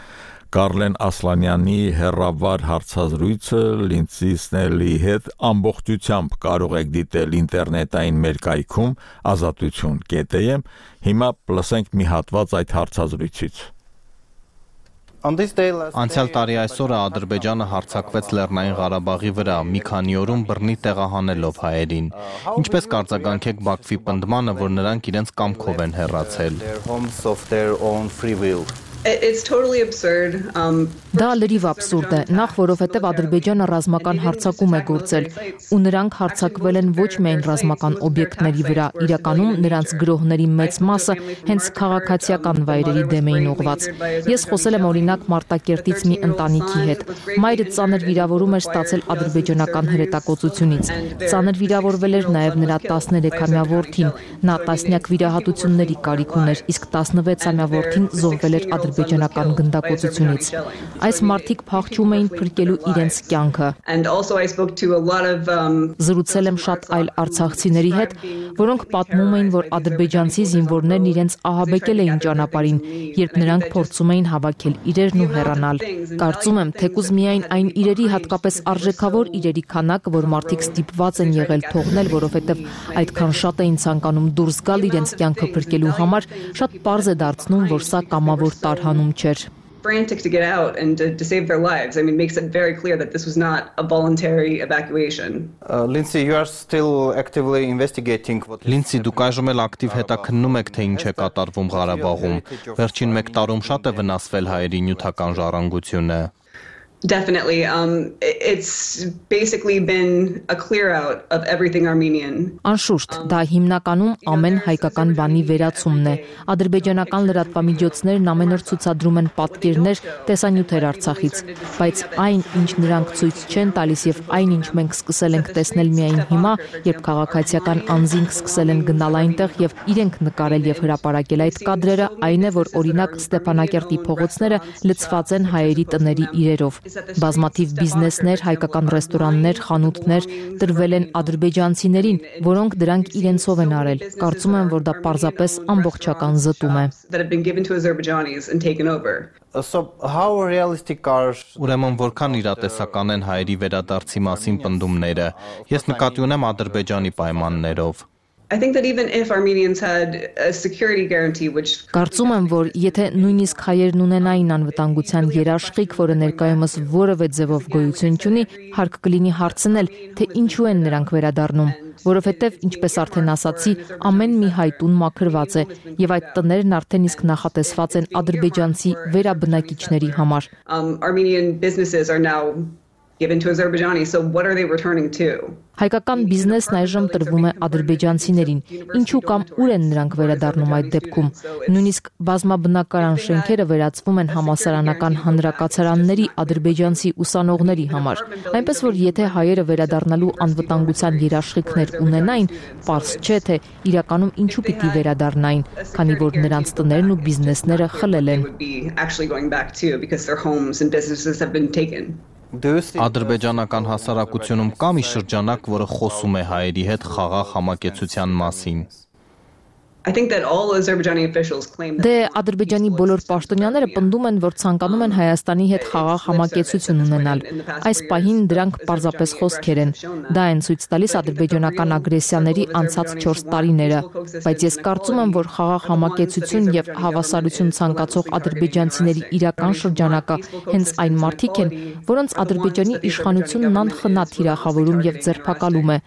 Speaker 1: Կարլեն Ասլանյանի հերավար հարցազրույցը Լինդսի Սնելլիի հետ ամբողջությամբ կարող եք դիտել ինտերնետային մեր կայքում ազատություն կետ էմ։ Հիմա լսենք մի հատված այդ հարցազրույցից։
Speaker 6: Անցյալ տարի այսօրը Ադրբեջանը հարձակվեց Լեռնային Ղարաբաղի վրա, մի քանի օրում բռնի տեղահանելով հայերին։ Ինչպես կարձագանքեք Բաքվի պնդմանը, որ նրանք իրենց կամքով են հեռացել։
Speaker 17: It's totally absurd. Um
Speaker 18: Դա լրիվ абսուրդ է, նախ որովհետև Ադրբեջանը ռազմական հարձակում է գործել, ու նրանք հարձակվել են ոչ միայն ռազմական օբյեկտների վրա, իրականում նրանց գրոհների մեծ մասը հենց քաղաքացիական վայրերի դեմ էին ուղղված։ Ես խոսել եմ օրինակ Մարտակերտից մի ընտանիքի հետ։ Մայրը ծանր վիրավորում էր ստացել ադրբեջանական հրետակոծությունից։ Ծանր վիրավորվել էր նաև նրա տասներեքամյա որդին, նա տասնյակ վիրահատությունների կարիք ուներ, իսկ տասնվեցամյա որդին զոհվել էր ադրբեջանական գնդակոծությունից։ Այս մարդիկ փախչում էին փրկելու իրենց կյանքը։ Զրուցել եմ շատ այլ արցախցիների հետ, որոնք պատմում էին, որ ադրբեջանցի զինվորներն իրենց ահաբեկել էին ճանապարհին, երբ նրանք փորձում էին հավաքել իրերն ու հեռանալ։ Կարծում եմ, թեկուզ միայն այն իրերի, հատկապես արժեքավոր իրերի քանակ, որ մարդիկ ստիպված են եղել թողնել, որովհետև այդքան շատ էին ցանկանում դուրս գալ իրենց կյանքը փրկելու համար, շատ պարզ է դարձնում, որ սա կամավոր տարհանում չէր։
Speaker 17: Frantic to get out and to, to save their lives. I mean, makes it very clear that this was not a voluntary evacuation.
Speaker 6: Uh, Lindsay, you are still actively investigating what Lindsay, դուք այժմ էլ ակտիվ հետաքննում եք, թե ինչ է կատարվում Ղարաբաղում։ Վերջին մեկ տարում շատ է վնասվել հայերի նյութական ժառանգությունը։
Speaker 17: Definitely. Um, it's basically been a clear out of everything Armenian.
Speaker 18: Անշուշտ, դա հիմնականում ամեն հայկական բանի վերացումն է։ Ադրբեջանական լրատվամիջոցներն ամեն օր ցուցադրում են պատկերներ, տեսանյութեր Արցախից, բայց այն, ինչ նրանք ցույց չեն տալիս եւ այն, ինչ մենք սկսել ենք տեսնել միայն հիմա, երբ քաղաքացիական անձինք սկսել են գնալ այնտեղ եւ իրենք նկարել եւ հրապարակել այդ կադրերը, այն է, որ օրինակ Ստեփանակերտի փողոցները լցված են հայերի տների իրերով։ Բազմաթիվ բիզնեսներ, հայկական ռեստորաններ, խանութներ տրվել են ադրբեջանցիներին, որոնք դրանք իրենցով են արել։ Կարծում եմ, որ դա պարզապես ամբողջական զտում է։
Speaker 6: Ուրեմն որքան իրատեսական են հայերի վերադարձի մասին պնդումները։ Ես նկատի ունեմ Ադրբեջանի պայմաններով։
Speaker 17: I think that even if Armenians had a security guarantee which
Speaker 18: Կարծում եմ, որ եթե նույնիսկ հայերն ունենային անվտանգության երաշխիք, որը ներկայումս որևէ ձևով գոյություն չունի, հարկ կլինի հարցնել, թե ինչու են նրանք վերադառնում, որովհետև, ինչպես արդեն ասացի, ամեն մի հայ տուն մաքրված է, եւ այդ տներն արդեն իսկ նախատեսված են ադրբեջանցի վերաբնակիչների համար։
Speaker 17: um, Armenian businesses are now given to Azerbaijani, so what are they returning to?
Speaker 18: Հայկական բիզնեսն այժմ տրվում է ադրբեջանցիներին, ինչու կամ ուր են նրանք վերադառնում այդ դեպքում։ Նույնիսկ բազմաբնակարան շենքերը վերածվում են համալսարանական հանրակացարանների ադրբեջանցի ուսանողների համար։ Այնպես որ եթե հայերը վերադառնալու անվտանգության երաշխիքներ ունենային, պարզ չէ թե իրականում ինչու պիտի վերադառնային, քանի որ նրանց տներն ու բիզնեսները խլել են։
Speaker 6: Ադրբեջանական հասարակությունում կա մի շրջանակ, որը խոսում է հայերի հետ խաղաղ համակեցության մասին։
Speaker 17: I think that all Azerbaijani officials claim that
Speaker 18: Դե Ադրբեջանի բոլոր պաշտոնյաները պնդում են, որ ցանկանում են Հայաստանի հետ խաղաղ համակեցություն ունենալ։ Այս պահին դրանք պարզապես խոսքեր են։ Դա են ցույց տալիս ադրբեջանական ագրեսիաների անցած չորս տարիները, բայց ես կարծում եմ, որ խաղաղ համակեցություն եւ հավասարություն ցանկացող ադրբեջանցիների իրական շրջանակը հենց այն մարդիկ են, որոնց Ադրբեջանի իշխանությունն անխնա թիրախավորում եւ ձերբակալում է։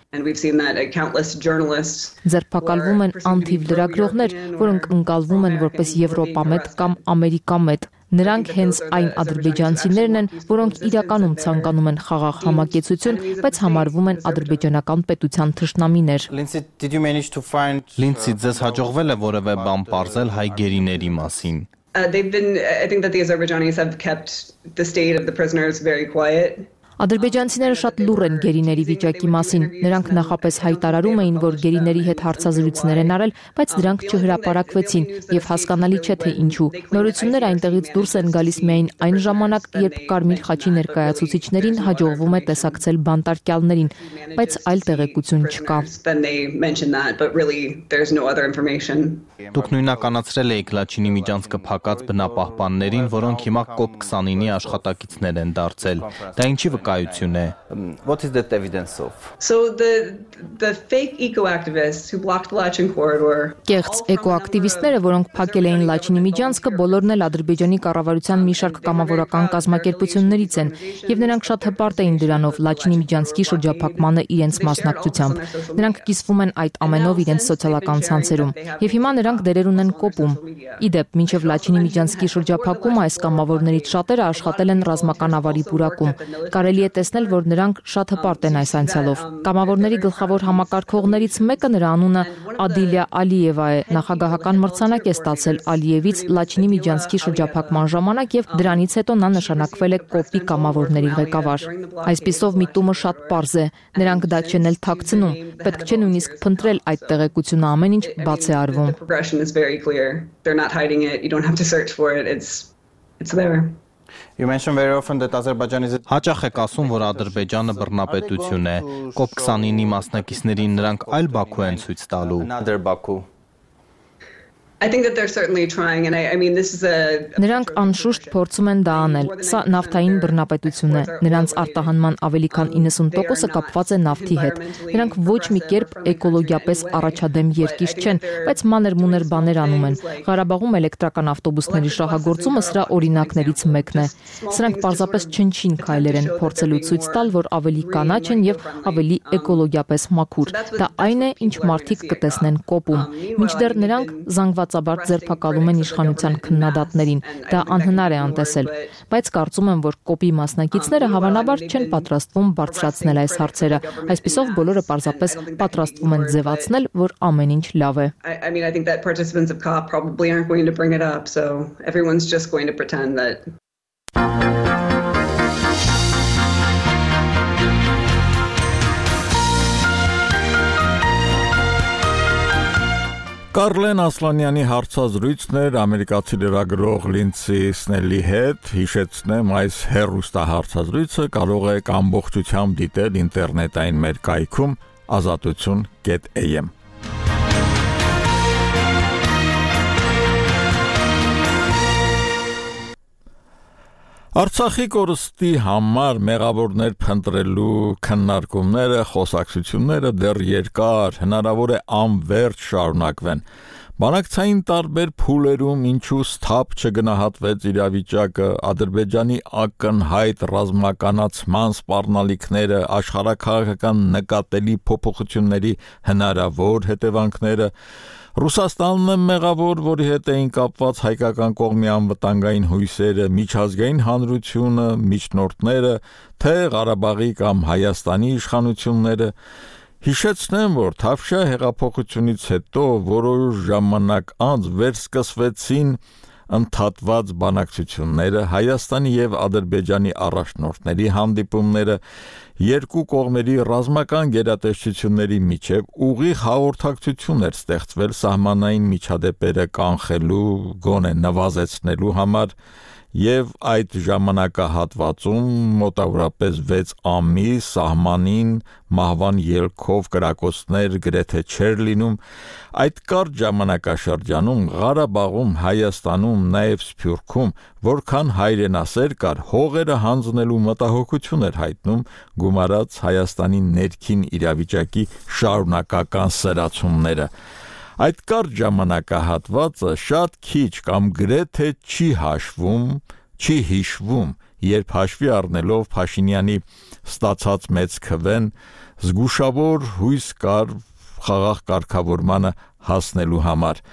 Speaker 18: Ձերբակալվում են անթիվ լրագրողներ, որոնք ընկալվում են որպես Եվրոպամետ կամ Ամերիկամետ։ Նրանք հենց այն ադրբեջանցիներն են, որոնք իրականում ցանկանում են խաղաղ համակեցություն, բայց համարվում են ադրբեջանական պետության թշնամիներ։
Speaker 6: Լինցի, ձեզ հաջողվել է որևէ բան պարզել հայ գերիների մասին։
Speaker 17: Uh, they've been, I think that the Azerbaijanis have kept the state of the prisoners very quiet.
Speaker 18: Ադրբեջանցիները շատ լուռ են գերիների վիճակի մասին։ Նրանք նախապես հայտարարում էին, որ գերիների հետ հարցազրույցներ են արել, բայց դրանք չհրապարակվեցին եւ հասկանալի չէ թե ինչու։ Նորությունները այնտեղից դուրս են գալիս միայն այն ժամանակ, երբ Կարմիր խաչի ներկայացուցիչներին հաջողվում է տեսակցել բանտարկյալներին, բայց այլ տեղեկություն չկա։
Speaker 6: Դուք նույնականացրել եք Լաչինի միջանցքը փակած բնապահպաններին, որոնք հիմա կոպ քսանինի աշխատակիցներ են դարձել։ Դա ինչի վկայություն է։
Speaker 19: What is that evidence of?
Speaker 17: So the the fake eco-activists who blocked the Lachin corridor.
Speaker 18: Կեղծ էկոակտիվիստները, որոնք փակել էին Լաչինի միջանցքը, բոլորն էլ Ադրբեջանի կառավարության մի շարք կամավորական կազմակերպություններից են, եւ նրանք շատ հպարտ էին դրանով Լաչինի միջանցքի շրջափակմանը իրենց մասնակցությամբ։ Նրանք կիսվում են այդ ամենով իրենց սոցիալական ցանցերում, եւ հիմա նրանք դերեր ունեն կոպում։ Իդեպ, մինչև Լաչինի միջանցքի շրջափակումը այս կամավորներից շատերը աշխատել են ռազմական ավարի պուրակում։ Կարելի է տեսնել, որ նրանք շատ հպարտ են այս անցյալով։ Կամավորների գլխավոր համակարգողներից մեկը, նրա անունը Ադիլյա Ալիևա է, նախագահական մրցանակ է ստացել Ալիևից Լաչինի միջանցքի շրջափակման ժամանակ եւ դրանից հետո նա նշանակվել է կոպի կամավորների ղեկավար։ Այսպիսով միտումը շատ պարզ է, նրանք դա չեն էլ թաքցնում, պետք չէ նույնիսկ փնտրել այդ տեղեկությունը, ամեն ինչ բաց է արվում։
Speaker 19: You mentioned very often that Azerbaijan is a...
Speaker 6: Հաճախ եք ասում, որ Ադրբեջանը բռնապետություն է։ կոպ քսանինի մասնակիցներին նրանք այլ Բաքու են ցույց տալու։
Speaker 19: Another Baku.
Speaker 17: I think that they're certainly trying, and I, I mean this is a
Speaker 18: Նրանք անշուշտ փորձում են դա անել։ Սա նավթային բռնապետություն է։ Նրանց արտահանման ավելի քան իննսուն տոկոսը կապված է նավթի հետ։ Նրանք ոչ մի կերպ էկոլոգիապես առաջադեմ երկիր չեն, բայց մանր-մուներ բաներ անում են։ Ղարաբաղում էլեկտրական ավտոբուսների շահագործումը սրա օրինակներից մեկն է։ Սրանք պարզապես չնչին քայլեր են, փորձելու ցույց տալ, որ ավելի կանաչ են եւ ավելի էկոլոգիապես մաքուր։ Դա այն է, ինչ մարդիկ կտեսնեն կոպում։ Մինչդեռ նրանք զանգվածաբար ձերբակալում են իշխանության քննադատներին։ Դա անհնար է անտեսել, բայց կարծում եմ, որ կոպի մասնակիցները հավանաբար չեն պատրաստվում բարձրացնել այս հարցերը։ Այսպիսով բոլորը պարզապես պատրաստվում են ձևացնել, որ ամեն ինչ լավ է։
Speaker 17: I mean I think that participants of COP probably aren't going to bring it up, so everyone's just going to pretend that
Speaker 1: Կարլեն Ասլանյանի հարցազրույցն էր ամերիկացի լրագրող Լինցի Սնելի հետ, հիշեցնեմ այս հեռուստահարցազրույցը կարող եք ամբողջությամբ դիտել ինտերնետային մեր կայքում ազատություն կետ A M Արցախի կորստի համար մեղավորներ փնտրելու քննարկումները, խոսակցությունները դեռ երկար, հնարավոր է անվերջ շարունակվեն։ Բանակցային տարբեր փուլերում ինչու սթափ չգնահատվեց իրավիճակը, Ադրբեջանի ակնհայտ ռազմականացման սպառնալիքները, աշխարհաքաղաքական նկատելի փոփոխությունների հնարավոր հետևանքները, Ռուսաստանն է մեղավոր, որի հետ էին կապված հայկական կողմի անվտանգային հույսերը, միջազգային հանրությունը, միջնորդները, թե Ղարաբաղի կամ Հայաստանի իշխանությունները, հիշեցնեմ, որ Թավշյա հեղափոխությունից հետո որոշ ժամանակ անց վերսկսվեցին ընդհատված բանակցությունները, Հայաստանի և Ադրբեջանի առաջնորդների հանդիպումները, երկու կողմերի ռազմական գերատեսչությունների միջև ուղիղ հաղորդակցություն էր ստեղծվել սահմանային միջադեպերը կանխելու, գոնե նվազեցնելու համար, և այդ ժամանակահատվածում մոտավորապես վեց ամիս սահմանին մահվան ելքով կրակոցներ գրեթե չէր լինում, այդ կարճ ժամանակաշրջանում Ղարաբաղում, Հայաստանում, նաև Սփյուռքում, որքան հայրենասեր կար, հողերը հանձնելու մտահոգություն էր հայտնում, գումարած Հայաստանի ներքին իրավիճակի շարունակական սրացումները։ Այդ կարճ ժամանակահատվածը շատ քիչ կամ գրեթե չի հաշվում, չի հիշվում, երբ հաշվի առնելով Փաշինյանի ստացած մեծ քվեն, զգուշավոր հույս կար խաղաղ կարգավորմանը հասնելու համար։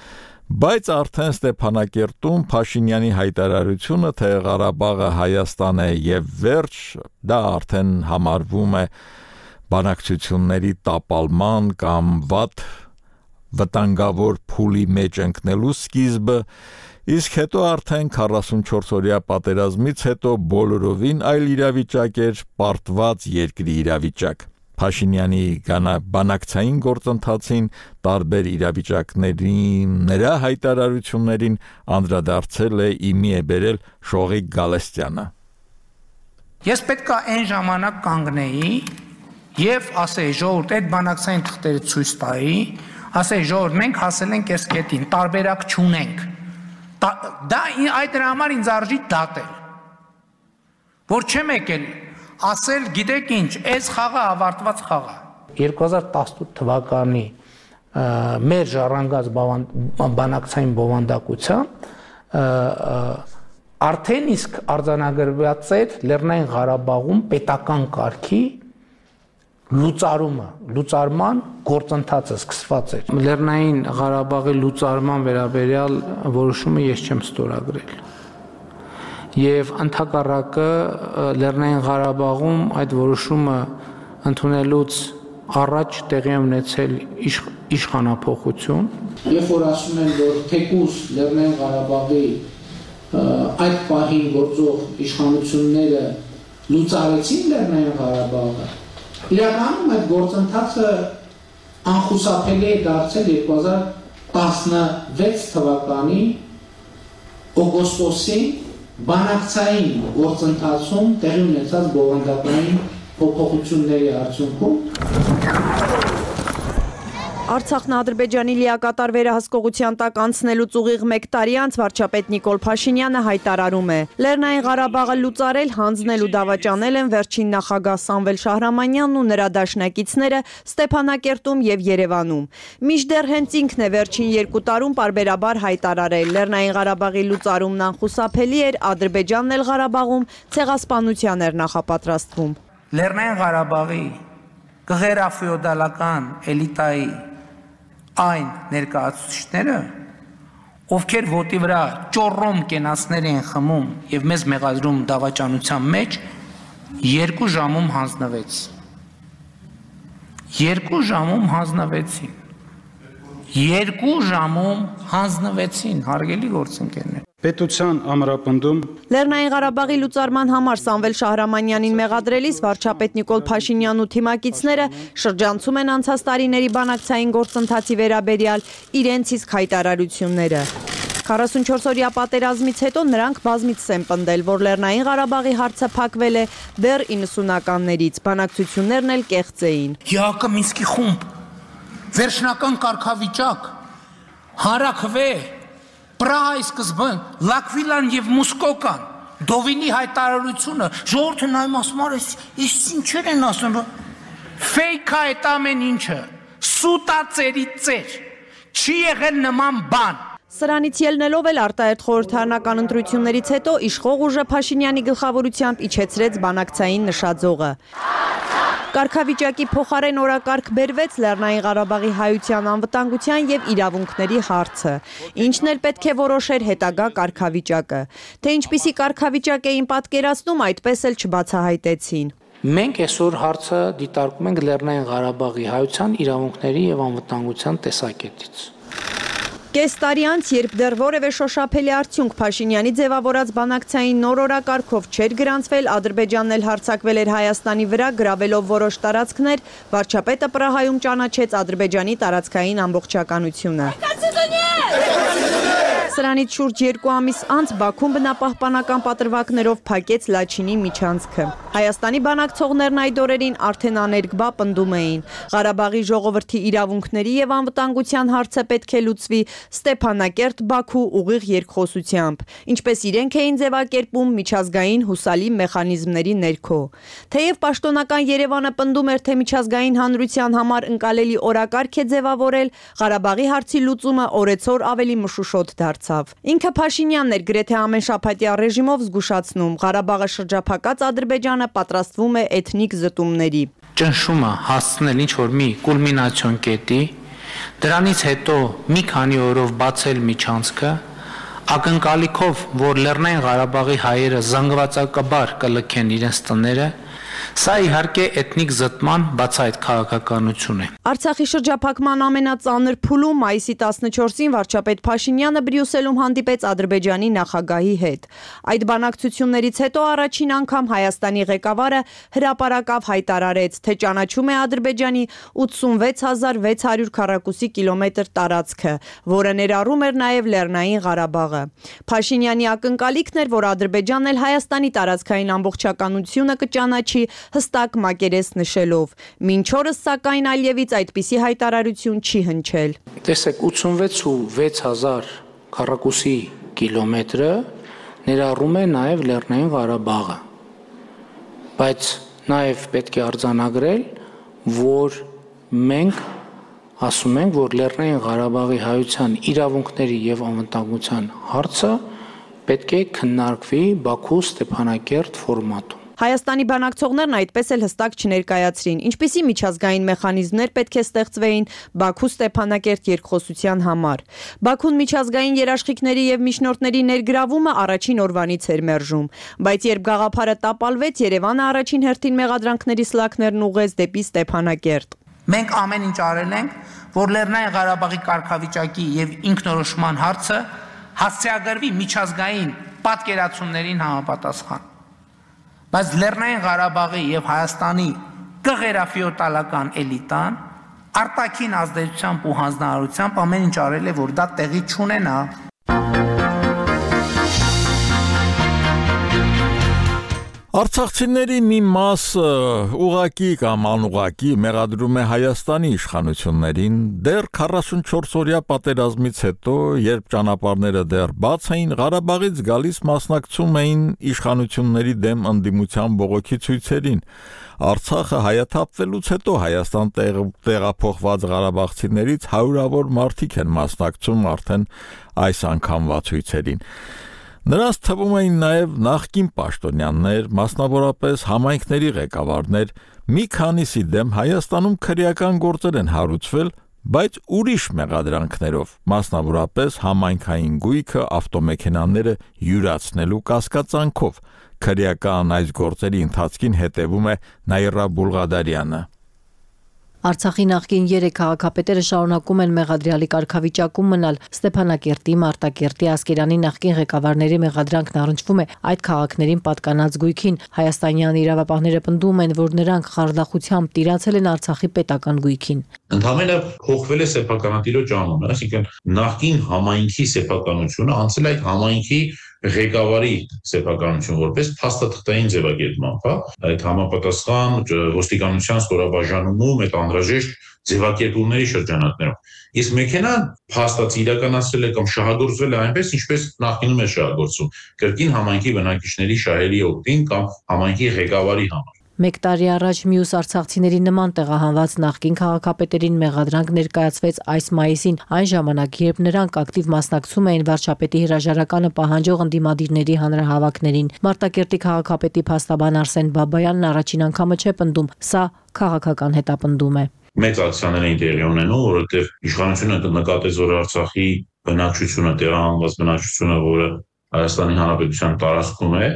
Speaker 1: Բայց արդեն Ստեփանակերտում Փաշինյանի հայտարարությունը, թե Ղարաբաղը Հայաստան է և վերջ, դա արդեն համարվում է բանակցությունների տապալման կամ վատ վտանգավոր փուլի մեջ ընկնելու սկիզբը, իսկ հետո արդեն քառասունչորս-օրյա պատերազմից հետո բոլորովին այլ իրավիճակ էր, պարտված երկրի իրավիճակ։ Փաշինյանի բանակցային գործընթացին, տարբեր իրավիճակներին, նրա հայտարարություններին անդրադարձել է իմի է բերել Շողիկ Գալստյանը։
Speaker 16: Ես պետք է այն ժամանակ կանգնեի եւ ասեի ժողովուրդ այդ բանակցային թղթերը ցույց տայի, ասեի ժողովուրդ մենք հասել ենք այս կետին, տարբերակ չունենք։ Դա այդ դրա համար ինձ արժի դատել։ Որ չեմ եկել ասել, գիտեք ինչ, այս խաղը ավարտված խաղ է։ երկու հազար տասնութ թվականի մեր ժառանգած բանակցային բովանդակությամբ արդեն իսկ արձանագրված էր Լեռնային Ղարաբաղում պետական կարգի լուծարումը, լուծարման գործընթացը սկսված էր։ Լեռնային Ղարաբաղի լուծարման վերաբերյալ որոշումը ես չեմ ստորագրել։ Եվ ընդհակառակը Լեռնային Ղարաբաղում այդ որոշումը ընդունելուց առաջ տեղի ունեցել իշխանափոխություն։ Երբ որ ասում են, որ թեկուզ Լեռնային Ղարաբաղի այդ պահին գործող իշխանությունները լուծարեցին Լեռնային Ղարաբաղը, իրականում այդ գործընթացը անխուսափելի է դարձել երկու հազար տասնվեց թվականի օգոստոսի բանակցային գործընթացում տեղի ունեցած բովանդակային փոփոխությունների արդյունքում
Speaker 9: Արցախն Ադրբեջանի լիակատար վերահսկողության տակ անցնելուց ուղիղ մեկ տարի անց վարչապետ Նիկոլ Փաշինյանը հայտարարում է. Լեռնային Ղարաբաղը լուծարել, հանձնել ու դավաճանել են վերջին նախագահ Սամվել Շահրամանյանն ու նրա դաշնակիցները Ստեփանակերտում եւ Երևանում։ Մինչդեռ հենց ինքն է վերջին երկու տարում պարբերաբար հայտարարել. Լեռնային Ղարաբաղի լուծարումն անխուսափելի էր, Ադրբեջանն էլ Ղարաբաղում ցեղասպանության էր նախապատրաստվում։
Speaker 16: Լեռնային Ղարաբաղի գղերաֆեոդալական էլիտայի այն ներկայացուցիչները, ովքեր ոտի վրա ճոռոմ կենացներ են խմում եւ մեզ մեղադրում դավաճանության մեջ, երկու ժամում հանձնվեց։ Երկու ժամում հանձնվեցին։ Երկու ժամում հանձնվեցին, հարգելի գործընկերներ։
Speaker 5: Պետության ամրապնդում
Speaker 9: Լեռնային Ղարաբաղի լուծարման համար Սամվել Շահրամանյանին մեղադրելիս վարչապետ Նիկոլ Փաշինյանն ու թիմակիցները շրջանցում են անցած տարիների բանակցային գործընթացի վերաբերյալ իրենց իսկ հայտարարությունները։ քառասունչորս-օրյա պատերազմից հետո նրանք բազմիցս են պնդել, որ Լեռնային Ղարաբաղի հարցը փակվել է դեռ իննսունականներից, բանակցություններն էլ կեղծ էին։
Speaker 16: ՀԱԿ Մինսկի խումբ, վերջնական կարգավիճակ, հանրաքվե, Պրահայի սկզբն, Լակվիլան և Մուսկոկան, Դովինի հայտարարությունը ժողովուրդը նայում ասում է, «Էս ինչեր են ասում»։ Ֆեյք է այդ ամեն ինչը։ Սուտա ծերի ծեր։ Չի եղել նման բան։
Speaker 20: Սրանից ելնելով էլ արտահերթ խորհրդարանական ընտրություններից հետո իշխող ուժը Փաշինյանի գլխավորությամբ իջեցրեց բանակցային նշաձողը։ Կարգավիճակի փոխարեն օրակարգ բերվեց Լեռնային Ղարաբաղի հայության անվտանգության եւ իրավունքների հարցը, ինչն էլ պետք է որոշեր հետագա կարգավիճակը։ Թե ինչպիսի կարգավիճակ էին պատկերացնում, այդպես էլ չբացահայտեցին։
Speaker 16: Մենք այսօր հարցը դիտարկում ենք Լեռնային Ղարաբաղի հայության իրավունքների եւ անվտանգության տեսակետից։
Speaker 20: Կես տարի անց, երբ դեռ որևէ շոշափելի արդյունք Փաշինյանի ձևավորած բանակցային նոր օրակարգով չէր գրանցվել, Ադրբեջանն էլ հարձակվել էր Հայաստանի վրա, գրավելով որոշ տարածքներ, վարչապետը Պրահայում ճանաչեց Ադրբեջանի տարածքային ամբողջականությունը։ Սրանից շուրջ երկու ամիս անց Բաքուն բնապահպանական պատրվակներով փակեց Լաչինի միջանցքը։ Հայաստանի բանակցողներն այդ օրերին արդեն աներկբա պնդում էին. Ղարաբաղի ժողովրդի իրավունքների եւ անվտանգության հարցը պետք է լուծվի Ստեփանակերտ-Բաքու ուղիղ երկխոսությամբ, ինչպես իրենք էին ձևակերպում միջազգային հուսալի մեխանիզմների ներքո։ Թեև պաշտոնական Երևանը պնդում էր, թե միջազգային հանրության համար ընկալելի օրակարգ է ձևավորել, Ղարաբաղի հարցի լուծումը օրեցօր ավելի մշուշոտ դարձավ։ Ինքը Փաշինյանն էր գրեթե ամեն շաբաթյա ռեժիմով զգուշացնում, Ղարաբաղը շրջափակած Ադրբեջանը պատրաստվում է էթնիկ զտումների։
Speaker 16: Ճնշումը հասցնել ինչ-որ մի կուլմինացիոն կետի, դրանից հետո մի քանի օրով բացել միջանցքը, ակնկալիքով, որ Լեռնային Ղարաբաղի հայերը զանգվածակաբար կլքեն իրենց տները, սա իհարկե էթնիկ զտման բացահայտ քաղաքականություն է։
Speaker 20: Արցախի շրջափակման ամենածանր փուլում մայիսի տասնչորսին վարչապետ Փաշինյանը Բրյուսելում հանդիպեց Ադրբեջանի նախագահի հետ։ Այդ բանակցություններից հետո առաջին անգամ Հայաստանի ղեկավարը հրապարակավ հայտարարեց, թե ճանաչում է Ադրբեջանի ութսունվեց հազար վեց հարյուր քառակուսի կիլոմետր տարածքը, որը ներառում էր նաև Լեռնային Ղարաբաղը։ Փաշինյանի ակնկալիքն էր, որ Ադրբեջանն էլ Հայաստանի տարածքային ամբողջականությունը կճանաչի հստակ մակերես նշելով։ Մինչ օրս սակայն Ալիևից այդպիսի հայտարարություն չի հնչել։
Speaker 16: Տեսեք, ութսունվեց ու վեց հազար քառակուսի կիլոմետրը ներառում է նաև Լեռնային Ղարաբաղը։ Բայց նաև պետք է արձանագրել, որ մենք ասում ենք, որ Լեռնային Ղարաբաղի հայության իրավունքների եւ անվտանգության հարցը պետք է քննարկվի Բաքու Ստեփանակերտ ֆորմատում։
Speaker 20: Հայաստանի բանակցողներն այդպես էլ հստակ չներկայացրին, ինչպիսի միջազգային մեխանիզմներ պետք է ստեղծվեին Բաքու Ստեփանակերտ երկխոսության համար։ Բաքուն միջազգային երաշխիքների եւ միջնորդների ներգրավումը առաջին օրվանից էր մերժում, բայց երբ գաղափարը տապալվեց, Երևանը առաջին հերթին մեղադրանքների սլաքներն ուղղեց դեպի Ստեփանակերտ։
Speaker 16: Մենք ամեն ինչ արել ենք, որ Լեռնային Ղարաբաղի կարգավիճակի եւ ինքնորոշման հարցը հասցեագրվի միջազգային պատկերացումներին համապատասխան։ Բայց Լեռնային Ղարաբաղի եւ Հայաստանի կղերաֆիոտալական էլիտան արտաքին ազդեցությամբ ու հանձնարարությամբ ամեն ինչ արել է, որ դա տեղի չունենա։
Speaker 1: Արցախցիների մի մասը ուղակի կամ անուղակի մեղադրում է Հայաստանի իշխանություններին դեռ քառասունչորս օրյա պատերազմից հետո, երբ ճանապարհները դեռ բաց էին, Ղարաբաղից գալիս մասնակցում էին իշխանությունների դեմ ընդդիմության բողոքի ցույցերին։ Արցախը հայաթափվելուց հետո Հայաստան տեղափոխված ղարաբաղցիներից հարյուրավոր մարդիկ են մասնակցում արդեն այս անգամվա ցույցերին։ Նրանց թվում էին նաև նախկին պաշտոնյաներ, մասնավորապես համայնքների ղեկավարներ, մի քանիսի դեմ Հայաստանում քրեական գործեր են հարուցվել, բայց ուրիշ մեղադրանքներով, մասնավորապես համայնքային գույքը, ավտոմեքենաները յուրացնելու կասկածանքով։ Քրեական այս գործերի ընթացքին հետևում է Նաիրա Բուլղադարյանը։
Speaker 18: Արցախի նախկին երեք քաղաքապետերը շարունակում են մեղադրյալի կարգավիճակում մնալ։ Ստեփանակերտի, Մարտակերտի, Ասկերանի նախկին ղեկավարների մեղադրանքն առնչվում է այդ քաղաքներին պատկանած գույքին։ Հայաստանյան իրավապահները պնդում են, որ նրանք խարդախությամբ տիրացել են Արցախի պետական գույքին։
Speaker 21: Ընդհանրապես փոխվել է սեփականատիրոջ անունը, այսինքն նախկին համայնքի սեփականությունը անցել այդ համայնքի ղեկավարի սեփականություն որպես փաստաթղթային ձևակերպման, հա, այդ համապատասխան ոստիկանության ստորաբաժանումում այդ անհրաժեշտ ձևակերպումների շրջանակներում։ Իսկ մեքենան փաստացի իրականացրել է կամ շահագործվել է այնպես, ինչպես նախկինում է շահագործում, կրկին համայնքի բնակիչների շահերի օգտին կամ համայնքի ղեկավարի համար։
Speaker 18: Մեկ տարի առաջ մյուս արցախցիների նման տեղահանված նախկին քաղաքապետերին մեղադրանք ներկայացվեց այս մայիսին, այն ժամանակ, երբ նրանք ակտիվ մասնակցում էին վարչապետի հրաժարականը պահանջող ընդդիմադիրների հանրահավաքներին։ Մարտակերտի քաղաքապետի փաստաբան Արսեն Բաբայանն առաջին անգամը չէ պնդում, սա քաղաքական հետապնդում է։
Speaker 21: Մեծ ակցիաներ էին տեղի ունենում, որովհետև իշխանությունը նկատեց, որ Արցախի բնակչությունը, տեղահանված բնակչությունը, որը Հայաստանի Հանրապետության տարածքում է,